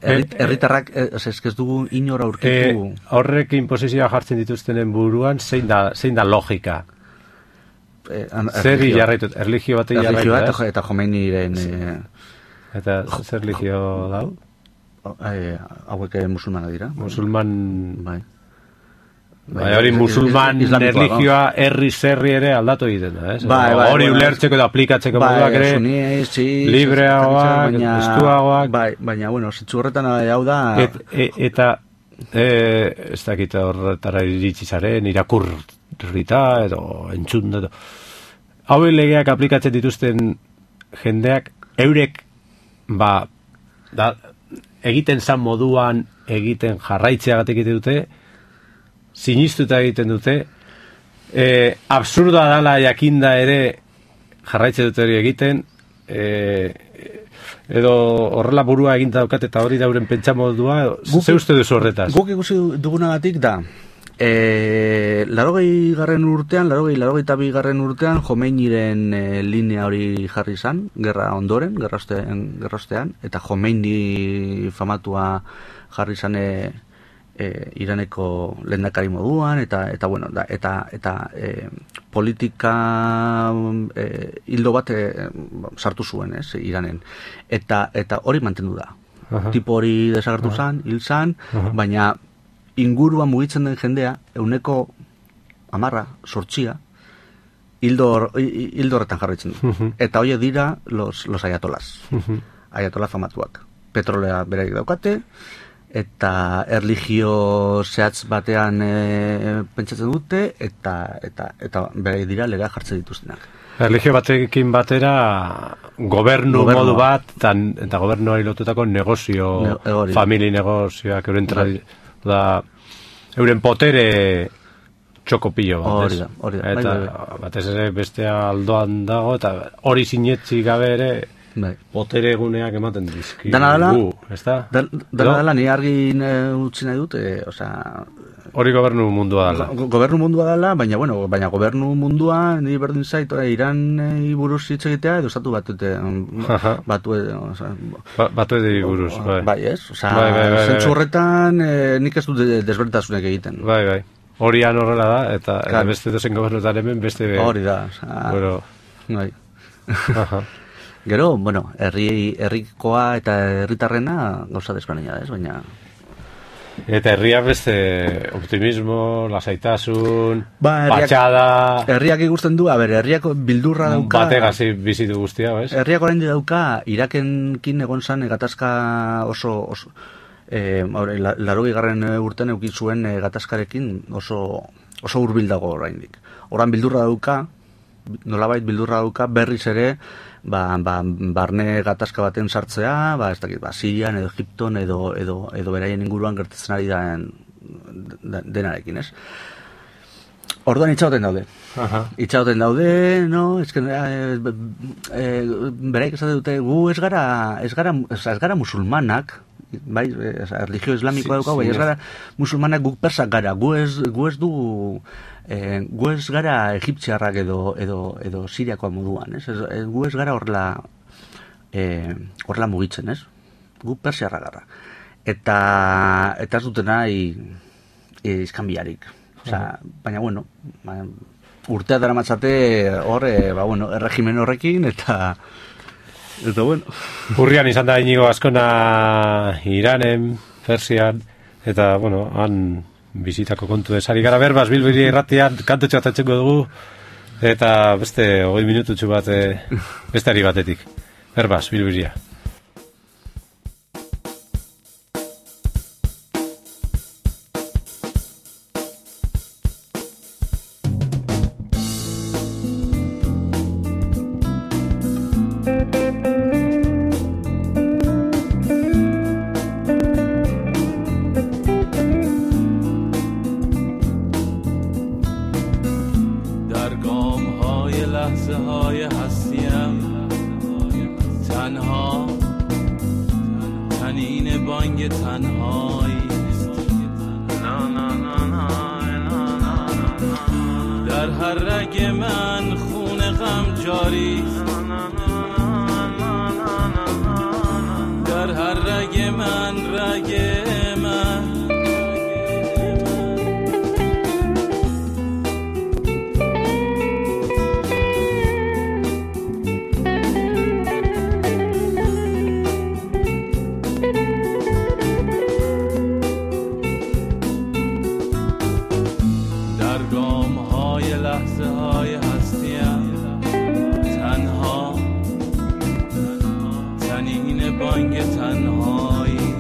Speaker 2: Herritarrak ez dugu inora aurkitu.
Speaker 1: Horrek inposizioa jartzen dituztenen buruan, zein da logika? Zer jarraitut, erligio batek jarraitut,
Speaker 2: eta Jomeiniren...
Speaker 1: Eta zer erligio dau?
Speaker 2: hauek musulmanak dira.
Speaker 1: Musulman...
Speaker 2: Bai.
Speaker 1: Hori musulman erlijioa herri ere aldatu egiten da, ez? Hori ulertzeko eta aplikatzeko moduak ere, libreagoak, estuagoak...
Speaker 2: Baina, bueno, zitzu horretan hau da...
Speaker 1: Eta, ez dakit horretara iritsi zaren, irakurrita, edo entzun, edo... Hau legeak aplikatzen dituzten jendeak, eurek, egiten zan moduan, egiten jarraitzeagatik egiten dute, sinistuta egiten dute, absurda dala jakinda ere jarraitze dute hori egiten, edo horrela burua eginta daukat eta hori dauren pentsamodua, ze uste duzu horretaz?
Speaker 2: Guk ikusi dugunagatik da, 80. urtean, 82. urtean, Khomeiniren linea hori jarri izan, gerra ondoren, gerraostean, eta Khomeini famatua jarri izan Iraneko lehendakari moduan, eta bueno, eta politika hildo bat sartu zuen, Iranen. Eta hori mantendu da. Tipo hori desagertu zan, hil zan, baina inguruan mugitzen den jendea, 10% hildo horretan jarraitzen du. Eta horiek dira los ayatolas. Ayatola famatuak. Petrolea beraik daukate, eta erlijio zehatz batean pentsatzen dute, eta beraik dira legea jartzen dituztenak.
Speaker 1: Erlijio batekin batera gobernu modu bat, eta gobernuari lotutako negozio, famili negozioak, euren potere txokopillo bat,
Speaker 2: hori da.
Speaker 1: Eta batez ere bestea aldoan dago, eta hori sinetzi gabe ere potere eguneak ematen dizki.
Speaker 2: Dana dela, ni argi utzi nahi dut,
Speaker 1: hori gobernu mundua dela.
Speaker 2: Gobernu mundua dela, baina gobernu mundua ni berdin zait, Iran buruz hitz egitea, edo estatu
Speaker 1: batuedi buruz,
Speaker 2: bai, ez? Zentzu horretan nik ez dut desberdintasunek egiten.
Speaker 1: Bai. Horian horrela da, eta beste dozen gobernuetan hemen, beste...
Speaker 2: Hori da, bai. Gero, bueno, herrikoa eta herritarrena gauza desberdina da, ez? Baina...
Speaker 1: Eta herria beste optimismo, lasaitasun, patxada...
Speaker 2: Herriak ikusten du, herriak bildurra dauka...
Speaker 1: Bategazi bizitu guztia, ez?
Speaker 2: Herriak orain dauka, Irakenkin egon zan gatazka oso 80. urtean eukin zuen gatazkarekin oso hurbil dago oraindik. Oran bildurra dauka, nolabait bildurra dauka, berriz ere, barne gatazka baten sartzea, ez dakit, Sirian edo Egipton edo beraien inguruan gertatzen ari denarekin, ez? Orduan itxauten daude. Itxauten daude, no, beraik esate dute, gu ez gara musulmanak, bai, erlijio islamikoa daukau, bai, ez gara musulmanak, guk persak gara, gu ez gara egiptziarrak edo siriakoa moduan, ez? Gu ez gara horrela mugitzen, ez? Gu persiarra gara. Eta ez duten nahi izkanbiarik. Baina, bueno, urtea dara matzate erregimen horrekin, eta bueno.
Speaker 1: Urrian izan da Inigo Azkona Iranen, Persian, eta, bueno, han bizitako kontu desari gara berbaz, Bilbiri irratian kantutxo atatxeko dugu, eta beste 20 minututxu bat beste ari batetik. Berbaz, Bilbiria.
Speaker 3: جنین بانگ تنهایی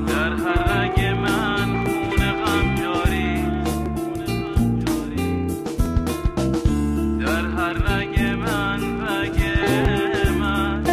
Speaker 3: در هر رگ من خون غم جاری در هر رگ من رگ من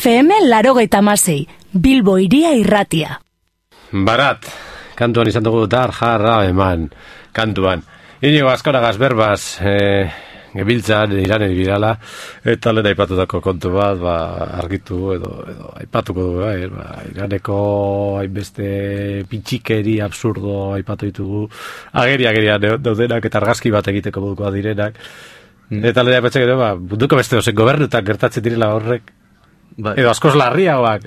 Speaker 4: FM 86, Bilbo Hiria Irratia.
Speaker 1: Barat, kantuan izan dugu dar jarra eman kantuan. Inigo Azkoragaz berbaz gebiltzan iranen birala, eta lehen aipatutako kontu bat, argitu edo aipatuko dugu, iraneko hainbeste pitxikeri absurdo aipatu ditugu, agerian daudenak eta argazki bat egiteko modukoa direnak, eta lehen aipatzek edo, munduko beste dozen gobernutak gertatzen direla horrek, edo askoz larriagoak,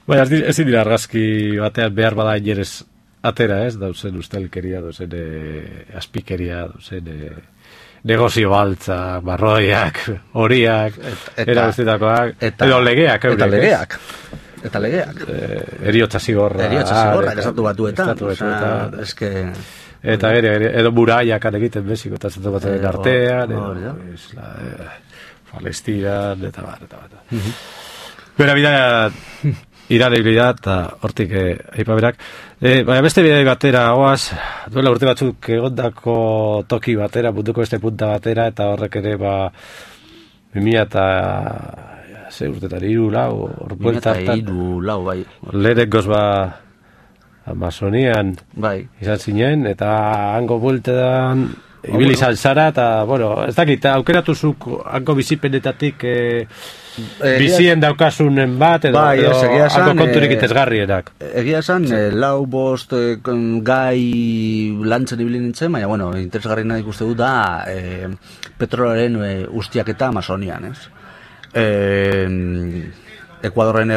Speaker 1: baina ez dira argazki batean behar bada inerez atera, ez, dauzen ustelkeria, dauzen aspikeria, dauzen negozio baltza, barroiak, horiak, erabestetakoak, edo legeak, eurek.
Speaker 2: Eta legeak.
Speaker 1: Eriotza zigorra.
Speaker 2: Estatu batuetan. Eske...
Speaker 1: Eta edo muraiak egiten beziko, eta zatu batzen artean, edo Palestinan, eta bat. Bera bidea Irane bidea, eta hortik aipaberak. Baina beste bidea batera, oaz, duela urte batzuk egondako toki batera, munduko beste punta batera, eta horrek ere, 2000 eta... ze urtetan, 3, 4,
Speaker 2: 2003, bai.
Speaker 1: Lehenengoz Amazonian izan zinen, eta hango bueltetan ibili izan zara, eta, bueno, ez dakit, aukeratuzuk hango bizipenetatik bizien daukasunen bat, edo hango konturik itezgarrienak.
Speaker 2: Egia esan, 4-5 gai lantzen ibili nintzen, baina, bueno, interesgarriena ikuste dut da petrolaren ustiaketa Amazonian, ez? Ekuadorren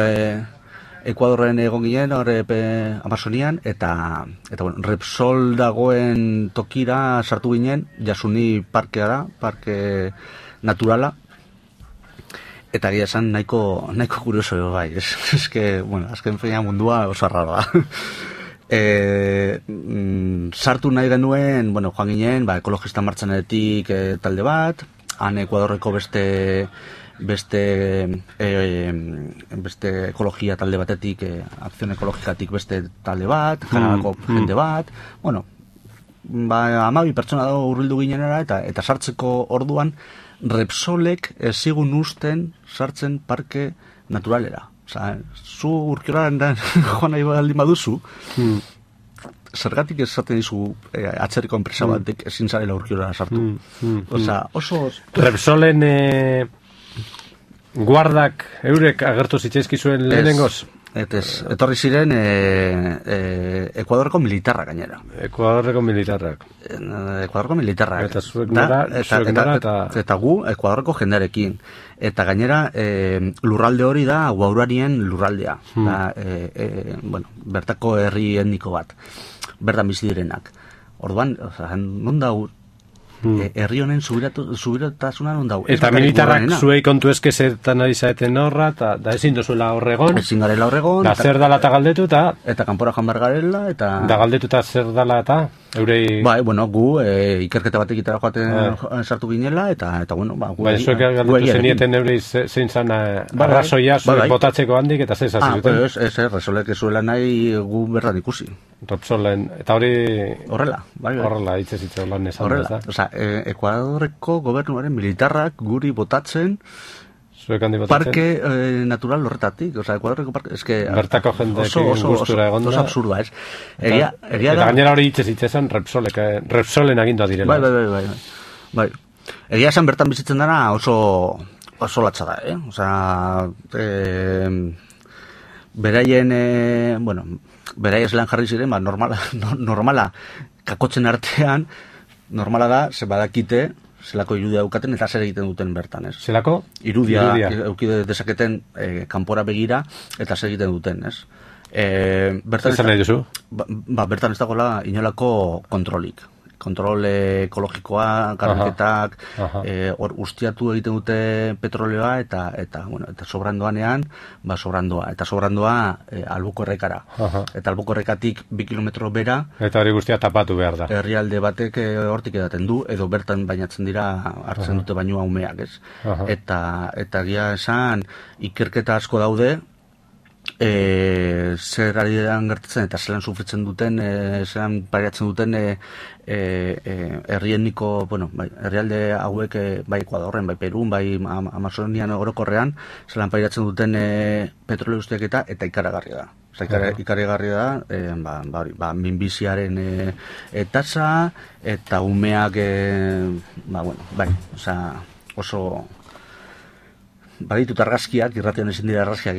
Speaker 2: egon ginen Amazonian, eta bueno, Repsol dagoen tokira sartu ginen, Jasuni parkea da, parke naturala, eta egia esan nahiko kurioso bai, eske, bueno, azken feina mundua oso raro da. Sartu nahi genuen, bueno, joan ginen, ekologista martxanetik talde bat, han Ekuadorreko beste ekologia talde batetik, akzion ekologikatik beste talde bat, Kanadako jende bat, bueno, 12 pertsona dago hurbildu ginenera, eta sartzeko orduan Repsolek ezigun usten sartzen parke naturalera. Osa, zu urkioraren joan nahi baldin baduzu, zergatik esaten dizu atzerriko enpresa batek ezin zarela urkiorara sartu. Osa, oso...
Speaker 1: Repsolen guardak eurek agertu zitzaizki zuen lehenengoz?
Speaker 2: Etorri ziren Ekuadorreko militarrak gainera.
Speaker 1: Ekuadorreko militarrak.
Speaker 2: Eta
Speaker 1: zuek nara,
Speaker 2: eta gu Ekuadorreko jendearekin. Eta gainera lurralde hori da guaurarien lurraldea. Bueno, bertako herri etniko bat. Bertan bizi direnak. Orduan, non da herri honen subiratasuna non dau.
Speaker 1: Eta militarrak zuei kontu eske zertan ari zaeten horra, eta da ezin dozuela horregon.
Speaker 2: Ezin garela horregon.
Speaker 1: Da zer dala eta galdetu,
Speaker 2: eta kanpora joan behar garela, eta...
Speaker 1: Da galdetu eta zer dala eta, eurei...
Speaker 2: Bai, bueno, gu ikerketa batek itara joaten sartu ginela, eta bueno, ba...
Speaker 1: Bai, zuek galdetu zenieten eurei zein zan arrazoia zuek botatzeko handik, eta zer zazi duten?
Speaker 2: Ez, Repsolek zuela nahi gu bertan ikusi.
Speaker 1: Repsolen, eta hori...
Speaker 2: Horrela, bai.
Speaker 1: Horrela, hitzez lan esan.
Speaker 2: Horrela, Ekuadorreko gobernuaren militarrak guri botatzen parke natural horretatik, Ekuadorreko parke,
Speaker 1: bertako jendeekin gustura egon da.
Speaker 2: Oso absurdua, ez?
Speaker 1: Eta gainera hori hitzezan Repsolen agindua direla.
Speaker 2: Bai. Egia esan bertan bizitzen dara oso latza da, beraien, beraiez lan jarri ziren, normala kakotzen artean, normala da, ze badakite, zelako irudia daukaten eta zer egiten duten bertan, ez?
Speaker 1: Zelako?
Speaker 2: Irudia eukide dezaketen kanpora begira eta zer egiten duten, ez?
Speaker 1: Zer nahi duzu?
Speaker 2: Bertan ez dagoela inolako kontrolik. Kontrol ekologikoa, karboketak, hor ustiatu egiten dute petroleoa eta sobrandoanean, sobrandoa. Eta sobrandoa Albuko errekara. Eta Albuko errekatik 2 kilometro bera.
Speaker 1: Eta hori guztia tapatu behar da.
Speaker 2: Herrialde batek hortik edaten du, edo bertan bainatzen dira hartzen dute bainua umeak, ez? Eta gia esan ikerketa asko daude, zer ari den gertatzen eta zelan sufritzen duten, zelan pariatzen duten herrieniko, herrialde hauek, bai Ekuadorren, bai Perun, bai Amazonian orokorrean, zelan pariatzen duten petrolio guztiak eta ikaragarria da. Ikaragarria da, minbiziaren tasa eta umeak, oso... Baditut argazkiak, irratian ezin dira argazkiak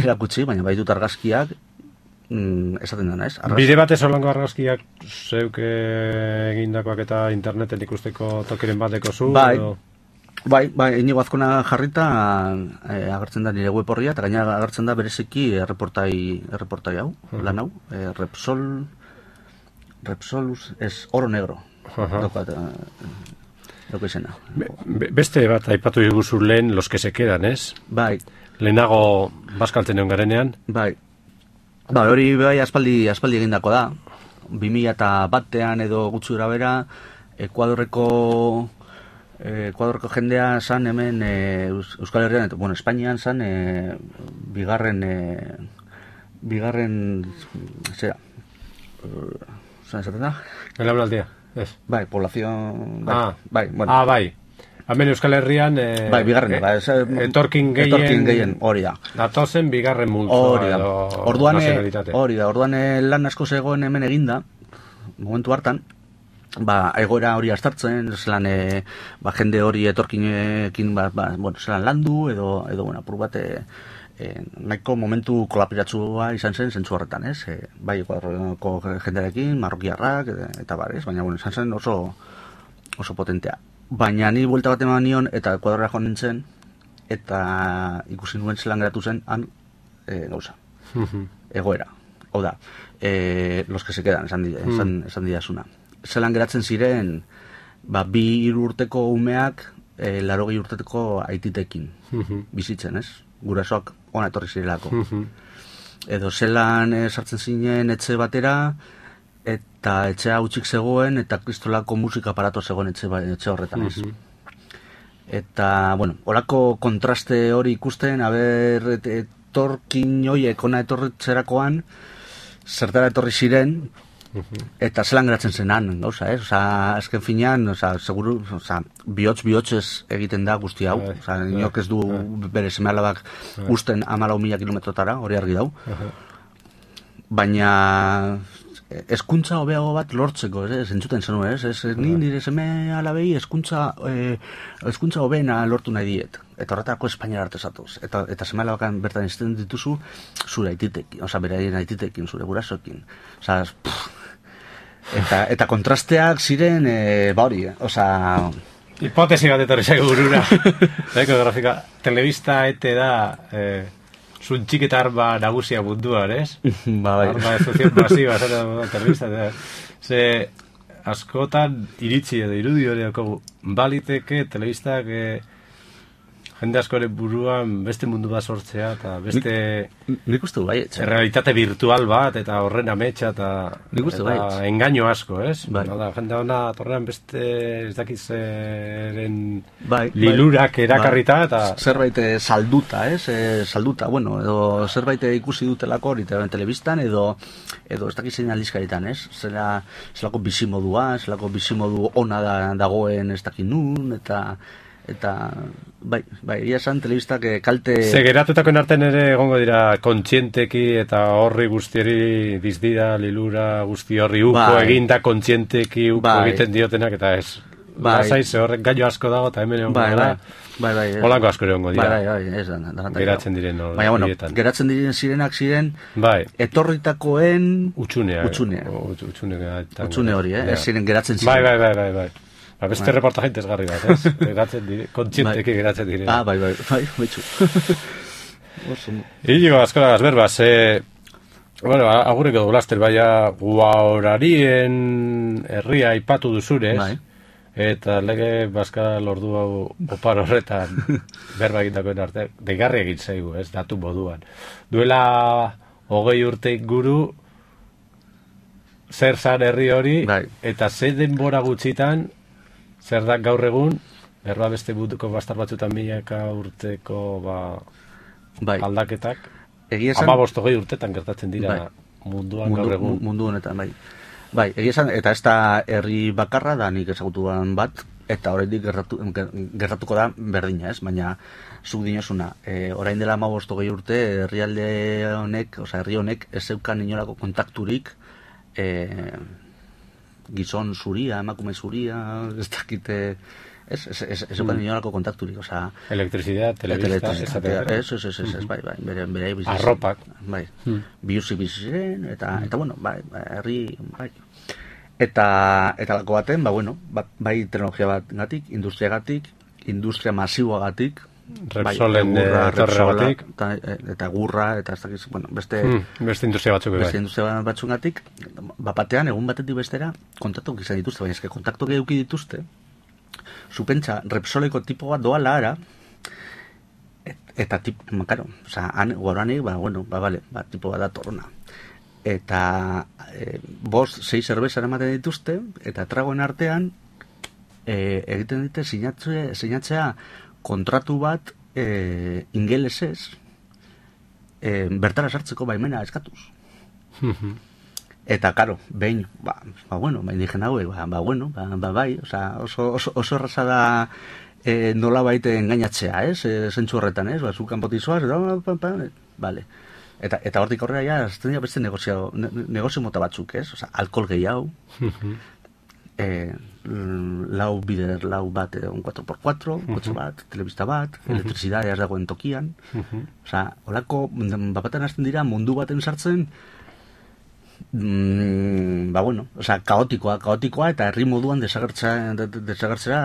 Speaker 2: irakutsi, baina baditut argazkiak esaten dena, ez?
Speaker 1: Bide batez holango argazkiak zeuk egindakoak eta interneten ikusteko tokiren bateko zu?
Speaker 2: Bai, Inigo Azkona jarrita agertzen da nire web horria, eta gainera agertzen da bereziki erreportai hau, lan hau, Repsolus, oro negro.
Speaker 1: Beste bat aipatu diguzu lehen los que se quedan, ez?
Speaker 2: Bai.
Speaker 1: Lehenago bazkaltzen egon garenean?
Speaker 2: Bai, hori bai aspaldi egindako da. 2001 edo gutxura bera, Ekuadorreko jendea zan hemen Euskal Herrian, eta Espainian zan bigarren zera, zan esaten da?
Speaker 1: Belaunaldia.
Speaker 2: Bai, poblazion...
Speaker 1: Bai. Hemen Euskal Herrian...
Speaker 2: Bai, bigarren.
Speaker 1: Etorkin gehien...
Speaker 2: Hori da.
Speaker 1: Datozen bigarren multzoa edo nazionalitate.
Speaker 2: Hori da. Orduan lan asko zegoen hemen eginda, momentu hartan, egoera hori astartzen, zelan jende hori etorkinekin zelan landu, edo apur bat... nahiko momentu kolapiratzua izan zen zentzu horretan, ez? Bai, Ekuadorko jendearekin, marrokiarrak, eta bar, ez? Baina, izan zen oso potentea. Baina ni buelta bat eman nion, eta Ekuadorra joan nintzen, eta ikusi nuen zelan geratu zen, han, gauza. Egoera. Hau da, los que se quedan, esan didazuna. Zelan geratzen ziren, 2-3 urteko umeak, 80 urteko aititekin bizitzen, ez? Gurasoak ona etorri zirelako. Edo zelan sartzen zinen etxe batera, eta etxea hutsik zegoen, eta kristolako musika aparato zegoen etxe horretan, ez? Eta, horako kontraste hori ikusten, etorkin hoiek ona etorritzerakoan, zertara etorri ziren, eta zelan geratzen zenan, gauza, ez? Azken finean, seguru, bihotz egiten da guzti hau. Inok ez du bere seme-alabak usten 14.000 kilometrotara, hori argi dau. Baina hezkuntza hobeago bat lortzeko, entzuten zenuen, ni nire seme-alabei hezkuntza hobeena lortu nahi diet. Eta horretarako Espainiara arte zatuz. Eta seme-alabakan bertan izten dituzu zure aititekin, beraien aititekin, zure gurasoekin. Eta kontrasteak ziren, hori,
Speaker 1: hipotesi bat etorri zaigu burura. Grafika, telebista da zuntxiketa arba nagusia mundua, ez?
Speaker 2: Bai.
Speaker 1: Arba de función masiva, telebista. askotan iritzi edo irudi hori daukagu. Baliteke telebistak jende askoren buruan beste mundu bat sortzea eta beste
Speaker 2: Nik uste du bai,
Speaker 1: realitate virtual bat eta horren ametsa eta
Speaker 2: Nik uste bai.
Speaker 1: engaino asko, ez?
Speaker 2: Bai.
Speaker 1: Da, jende hona torrean beste ez dakizeren
Speaker 2: Bai,
Speaker 1: lilurak erakarrita eta
Speaker 2: zerbait salduta, salduta, bueno, edo zerbait ikusi dutelako hori telebistan edo ez dakizein aldizkaritan, ez? Zelako bizimodua, zelako bizimodu ona dagoen ez dakin nun, eta bai, ia esan telebistak kalte...
Speaker 1: Ze geratutakoen artean ere egongo dira kontzienteki eta horri guztiari dizdira, lilura guzti horri uko eginda kontzienteki uko egiten diotenak eta ez. Lasai, ze horrek gaio asko dago eta hemen egongo dira.
Speaker 2: Bai.
Speaker 1: Holako asko egongo dira.
Speaker 2: Bai, ez da.
Speaker 1: Geratzen diren hori.
Speaker 2: Baina, bueno, geratzen ziren etorritakoen...
Speaker 1: Utxune
Speaker 2: hori, ez ziren geratzen ziren.
Speaker 1: Bai. Beste reportaje interesgarri bat, ez? Kontzienteki geratzen dire.
Speaker 2: Bai, betxu.
Speaker 1: Inigo, askola gazberbaz, bueno, agureko dugulaster, baina guaorarien herria aipatu duzurez, eta lege Baskal ordu hau opar horretan berba egitakoen arte, deigarri egin zaigu, ez, datu moduan. Duela 20 urte inguru, zer zan herri hori, eta ze denbora gutxitan, zer da gaur egun, berba beste butuko bastar batzutan milaka urteko aldaketak, 15-20 urtetan gertatzen dira munduan gaur egun.
Speaker 2: Mundu honetan, bai, egia esan, eta ez da herri bakarra da nik ezagutuan bat, eta oraindik gertatuko da berdina, ez? Baina, zuk dinosuna, orain dela 15-20 urte, herri honek ez zeukan inolako kontakturik, gizon zuria, emakume zuria, ez dakite, ez zeukan inolako kontakturik, oza...
Speaker 1: Elektrizidad, telebista,
Speaker 2: bai, bere bizitza.
Speaker 1: Arropak.
Speaker 2: Bai, biurzik bizitzen, eta bueno, herri, bai. Eta lako baten, bai teknologia bat gatik, industria masiboagatik,
Speaker 1: Repsolen etorregatik,
Speaker 2: eta gurra, eta ez dakiz, bueno, beste
Speaker 1: industria batzuk
Speaker 2: beste industria batzugatik, batean, egun batetik bestera, kontaktuak izan dituzte, baina eske kontaktuak eduki dituzte, zupentsa, Repsoleko tipo bat doala ara, eta karo, oza, guaranik, tipo bat da torrona. Eta 5-6 zerbezaren ematen dituzte, eta tragoen artean, egiten dite sinatzea kontratu bat ingelesez bertara sartzeko baimena eskatuz. Eta, karo, behin, indigen hauek, bai, oso erraza da nola baite engainatzea, zentzu horretan, zu kanpotizoaz, vale. Eta hortik aurrera, azten dira beste negozio mota batzuk, alkohol gehiago, lau bat, un 4x4, kotxe bat, telebista bat, elektrizidadea ez dagoen tokian, holako, bapatan azten dira mundu baten sartzen, kaotikoa eta herri moduan desagertzera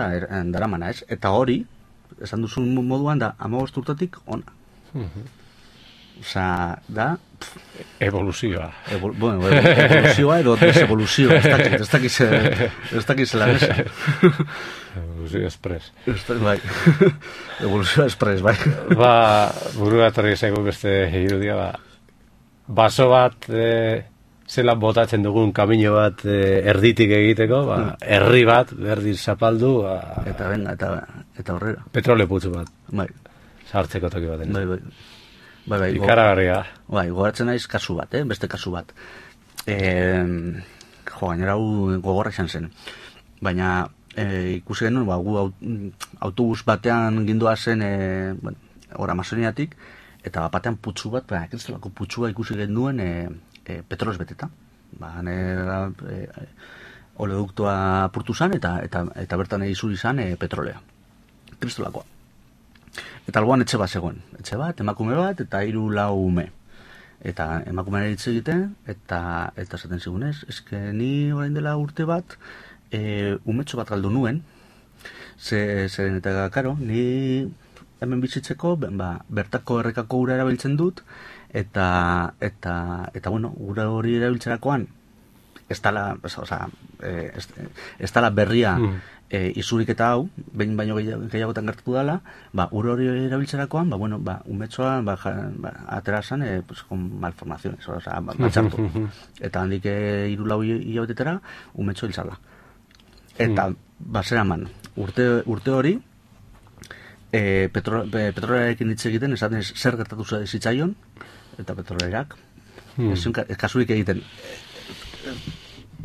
Speaker 2: daramana, ez? Eta hori, esan duzun moduan da 15 urtetik ona. Da...
Speaker 1: Evoluzioa.
Speaker 2: Evoluzioa edo desevoluzioa, ez dakiz lan ez.
Speaker 1: Evoluzioa express.
Speaker 2: Bai, evoluzioa express, bai.
Speaker 1: Buru atorri zaigu beste irudia, baso bat zelan botatzen dugun kamino bat erditik egiteko, herri bat, berdin zapaldu,
Speaker 2: eta horrera.
Speaker 1: Petrole putzu bat.
Speaker 2: Bai.
Speaker 1: Sartzeko toki baten.
Speaker 2: Bai.
Speaker 1: Ikaragarria.
Speaker 2: Bai, gogoratzen naiz kasu bat, beste kasu bat. Gainera gogorra izan zen. Baina ikusi genuen, gu autobus batean gindua zen, ora Amazoniatik, eta batean putzu bat, kristalako putzua ikusi genuen petrolez beteta. Oleoduktoa apurtu zan, eta bertan izuri zan petrolea. Kristolakoa. Eta alboan etxe bat zegoen. Etxe bat, emakume bat, eta 3-4 ume. Eta emakumean hitz egiten, eta esaten zigunez, eske ni orain dela urte bat, umetxo bat galdu nuen, zeren eta karo, ni hemen bizitzeko, bertako errekako ura erabiltzen dut, eta ura hori erabiltzerakoan, ez dala berria izuriketa hau, behin baino gehiagotan gertatu dela, ur hori erabiltzerakoan, umetxoa atera zan, con malformaciones, batxartu. Eta handik 3-4 hilabetetara, umetxo hiltzala. Eta, zeraman, urte hori, petrolarekin hitz egiten, esaten zer gertatu zitzaion, eta petrolareak, kasurik egiten,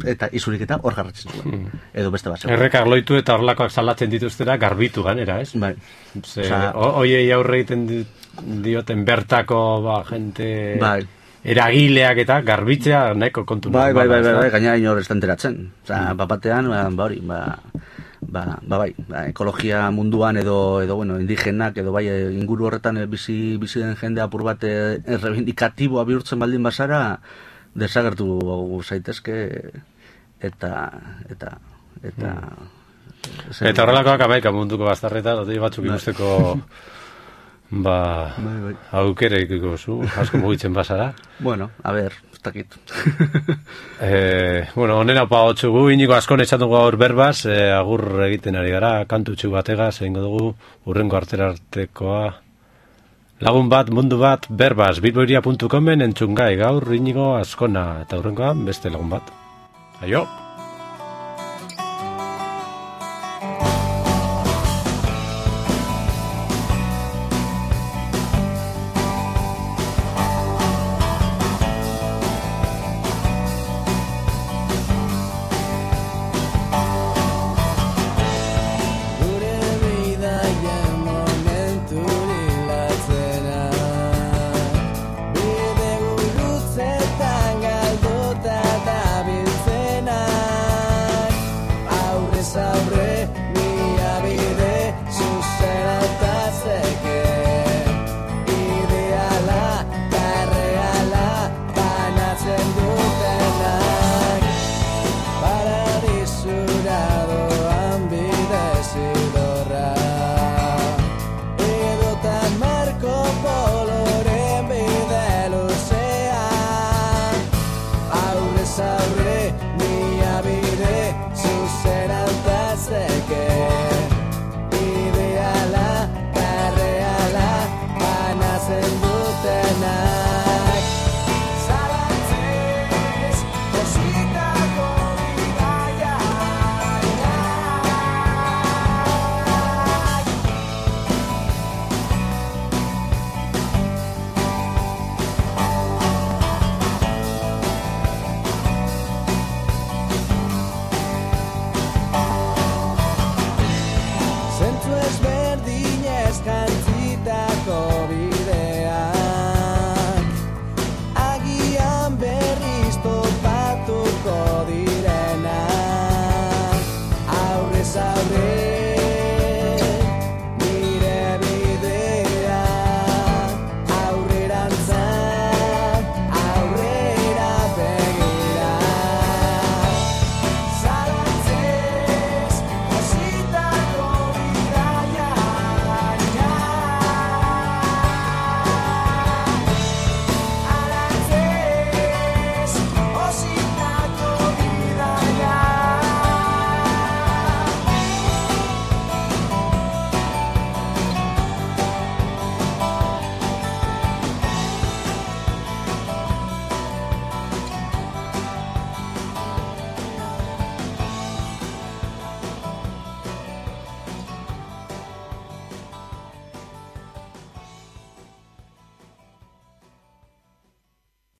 Speaker 2: eta izuriketa hor garratzen zuen. Edo beste bat.
Speaker 1: Errekak loitu eta horlakoak salatzen dituztera garbitu ganera, ez?
Speaker 2: Bai.
Speaker 1: Oiei aurre egiten dioten bertako jente eragileak eta garbitzea nahiko kontu.
Speaker 2: Bai, gaina inor ez da enteratzen. Bapatean, hori, ekologia munduan edo indigenak edo inguru horretan bizi den jende apur bat errebindikatiboa bihurtzen baldin bazara, desagertu zaitezke eta
Speaker 1: horrelakoak amaika munduko bazterreta, batzuk ikusteko aukera ikiko zu, asko mugitzen bazara.
Speaker 2: Bueno, a ver, ez dakit.
Speaker 1: Honen hau pagotzugu, Inigo askon etxatugu gaur berbaz, agur egiten ari gara, kantutxu bategaz, egingo dugu, urrengo artekoa. Lagun bat, mundu bat, berbaz, bilboiria.comen entzungai gaur Inigo askona, eta urrengoan beste lagun bat. Aio!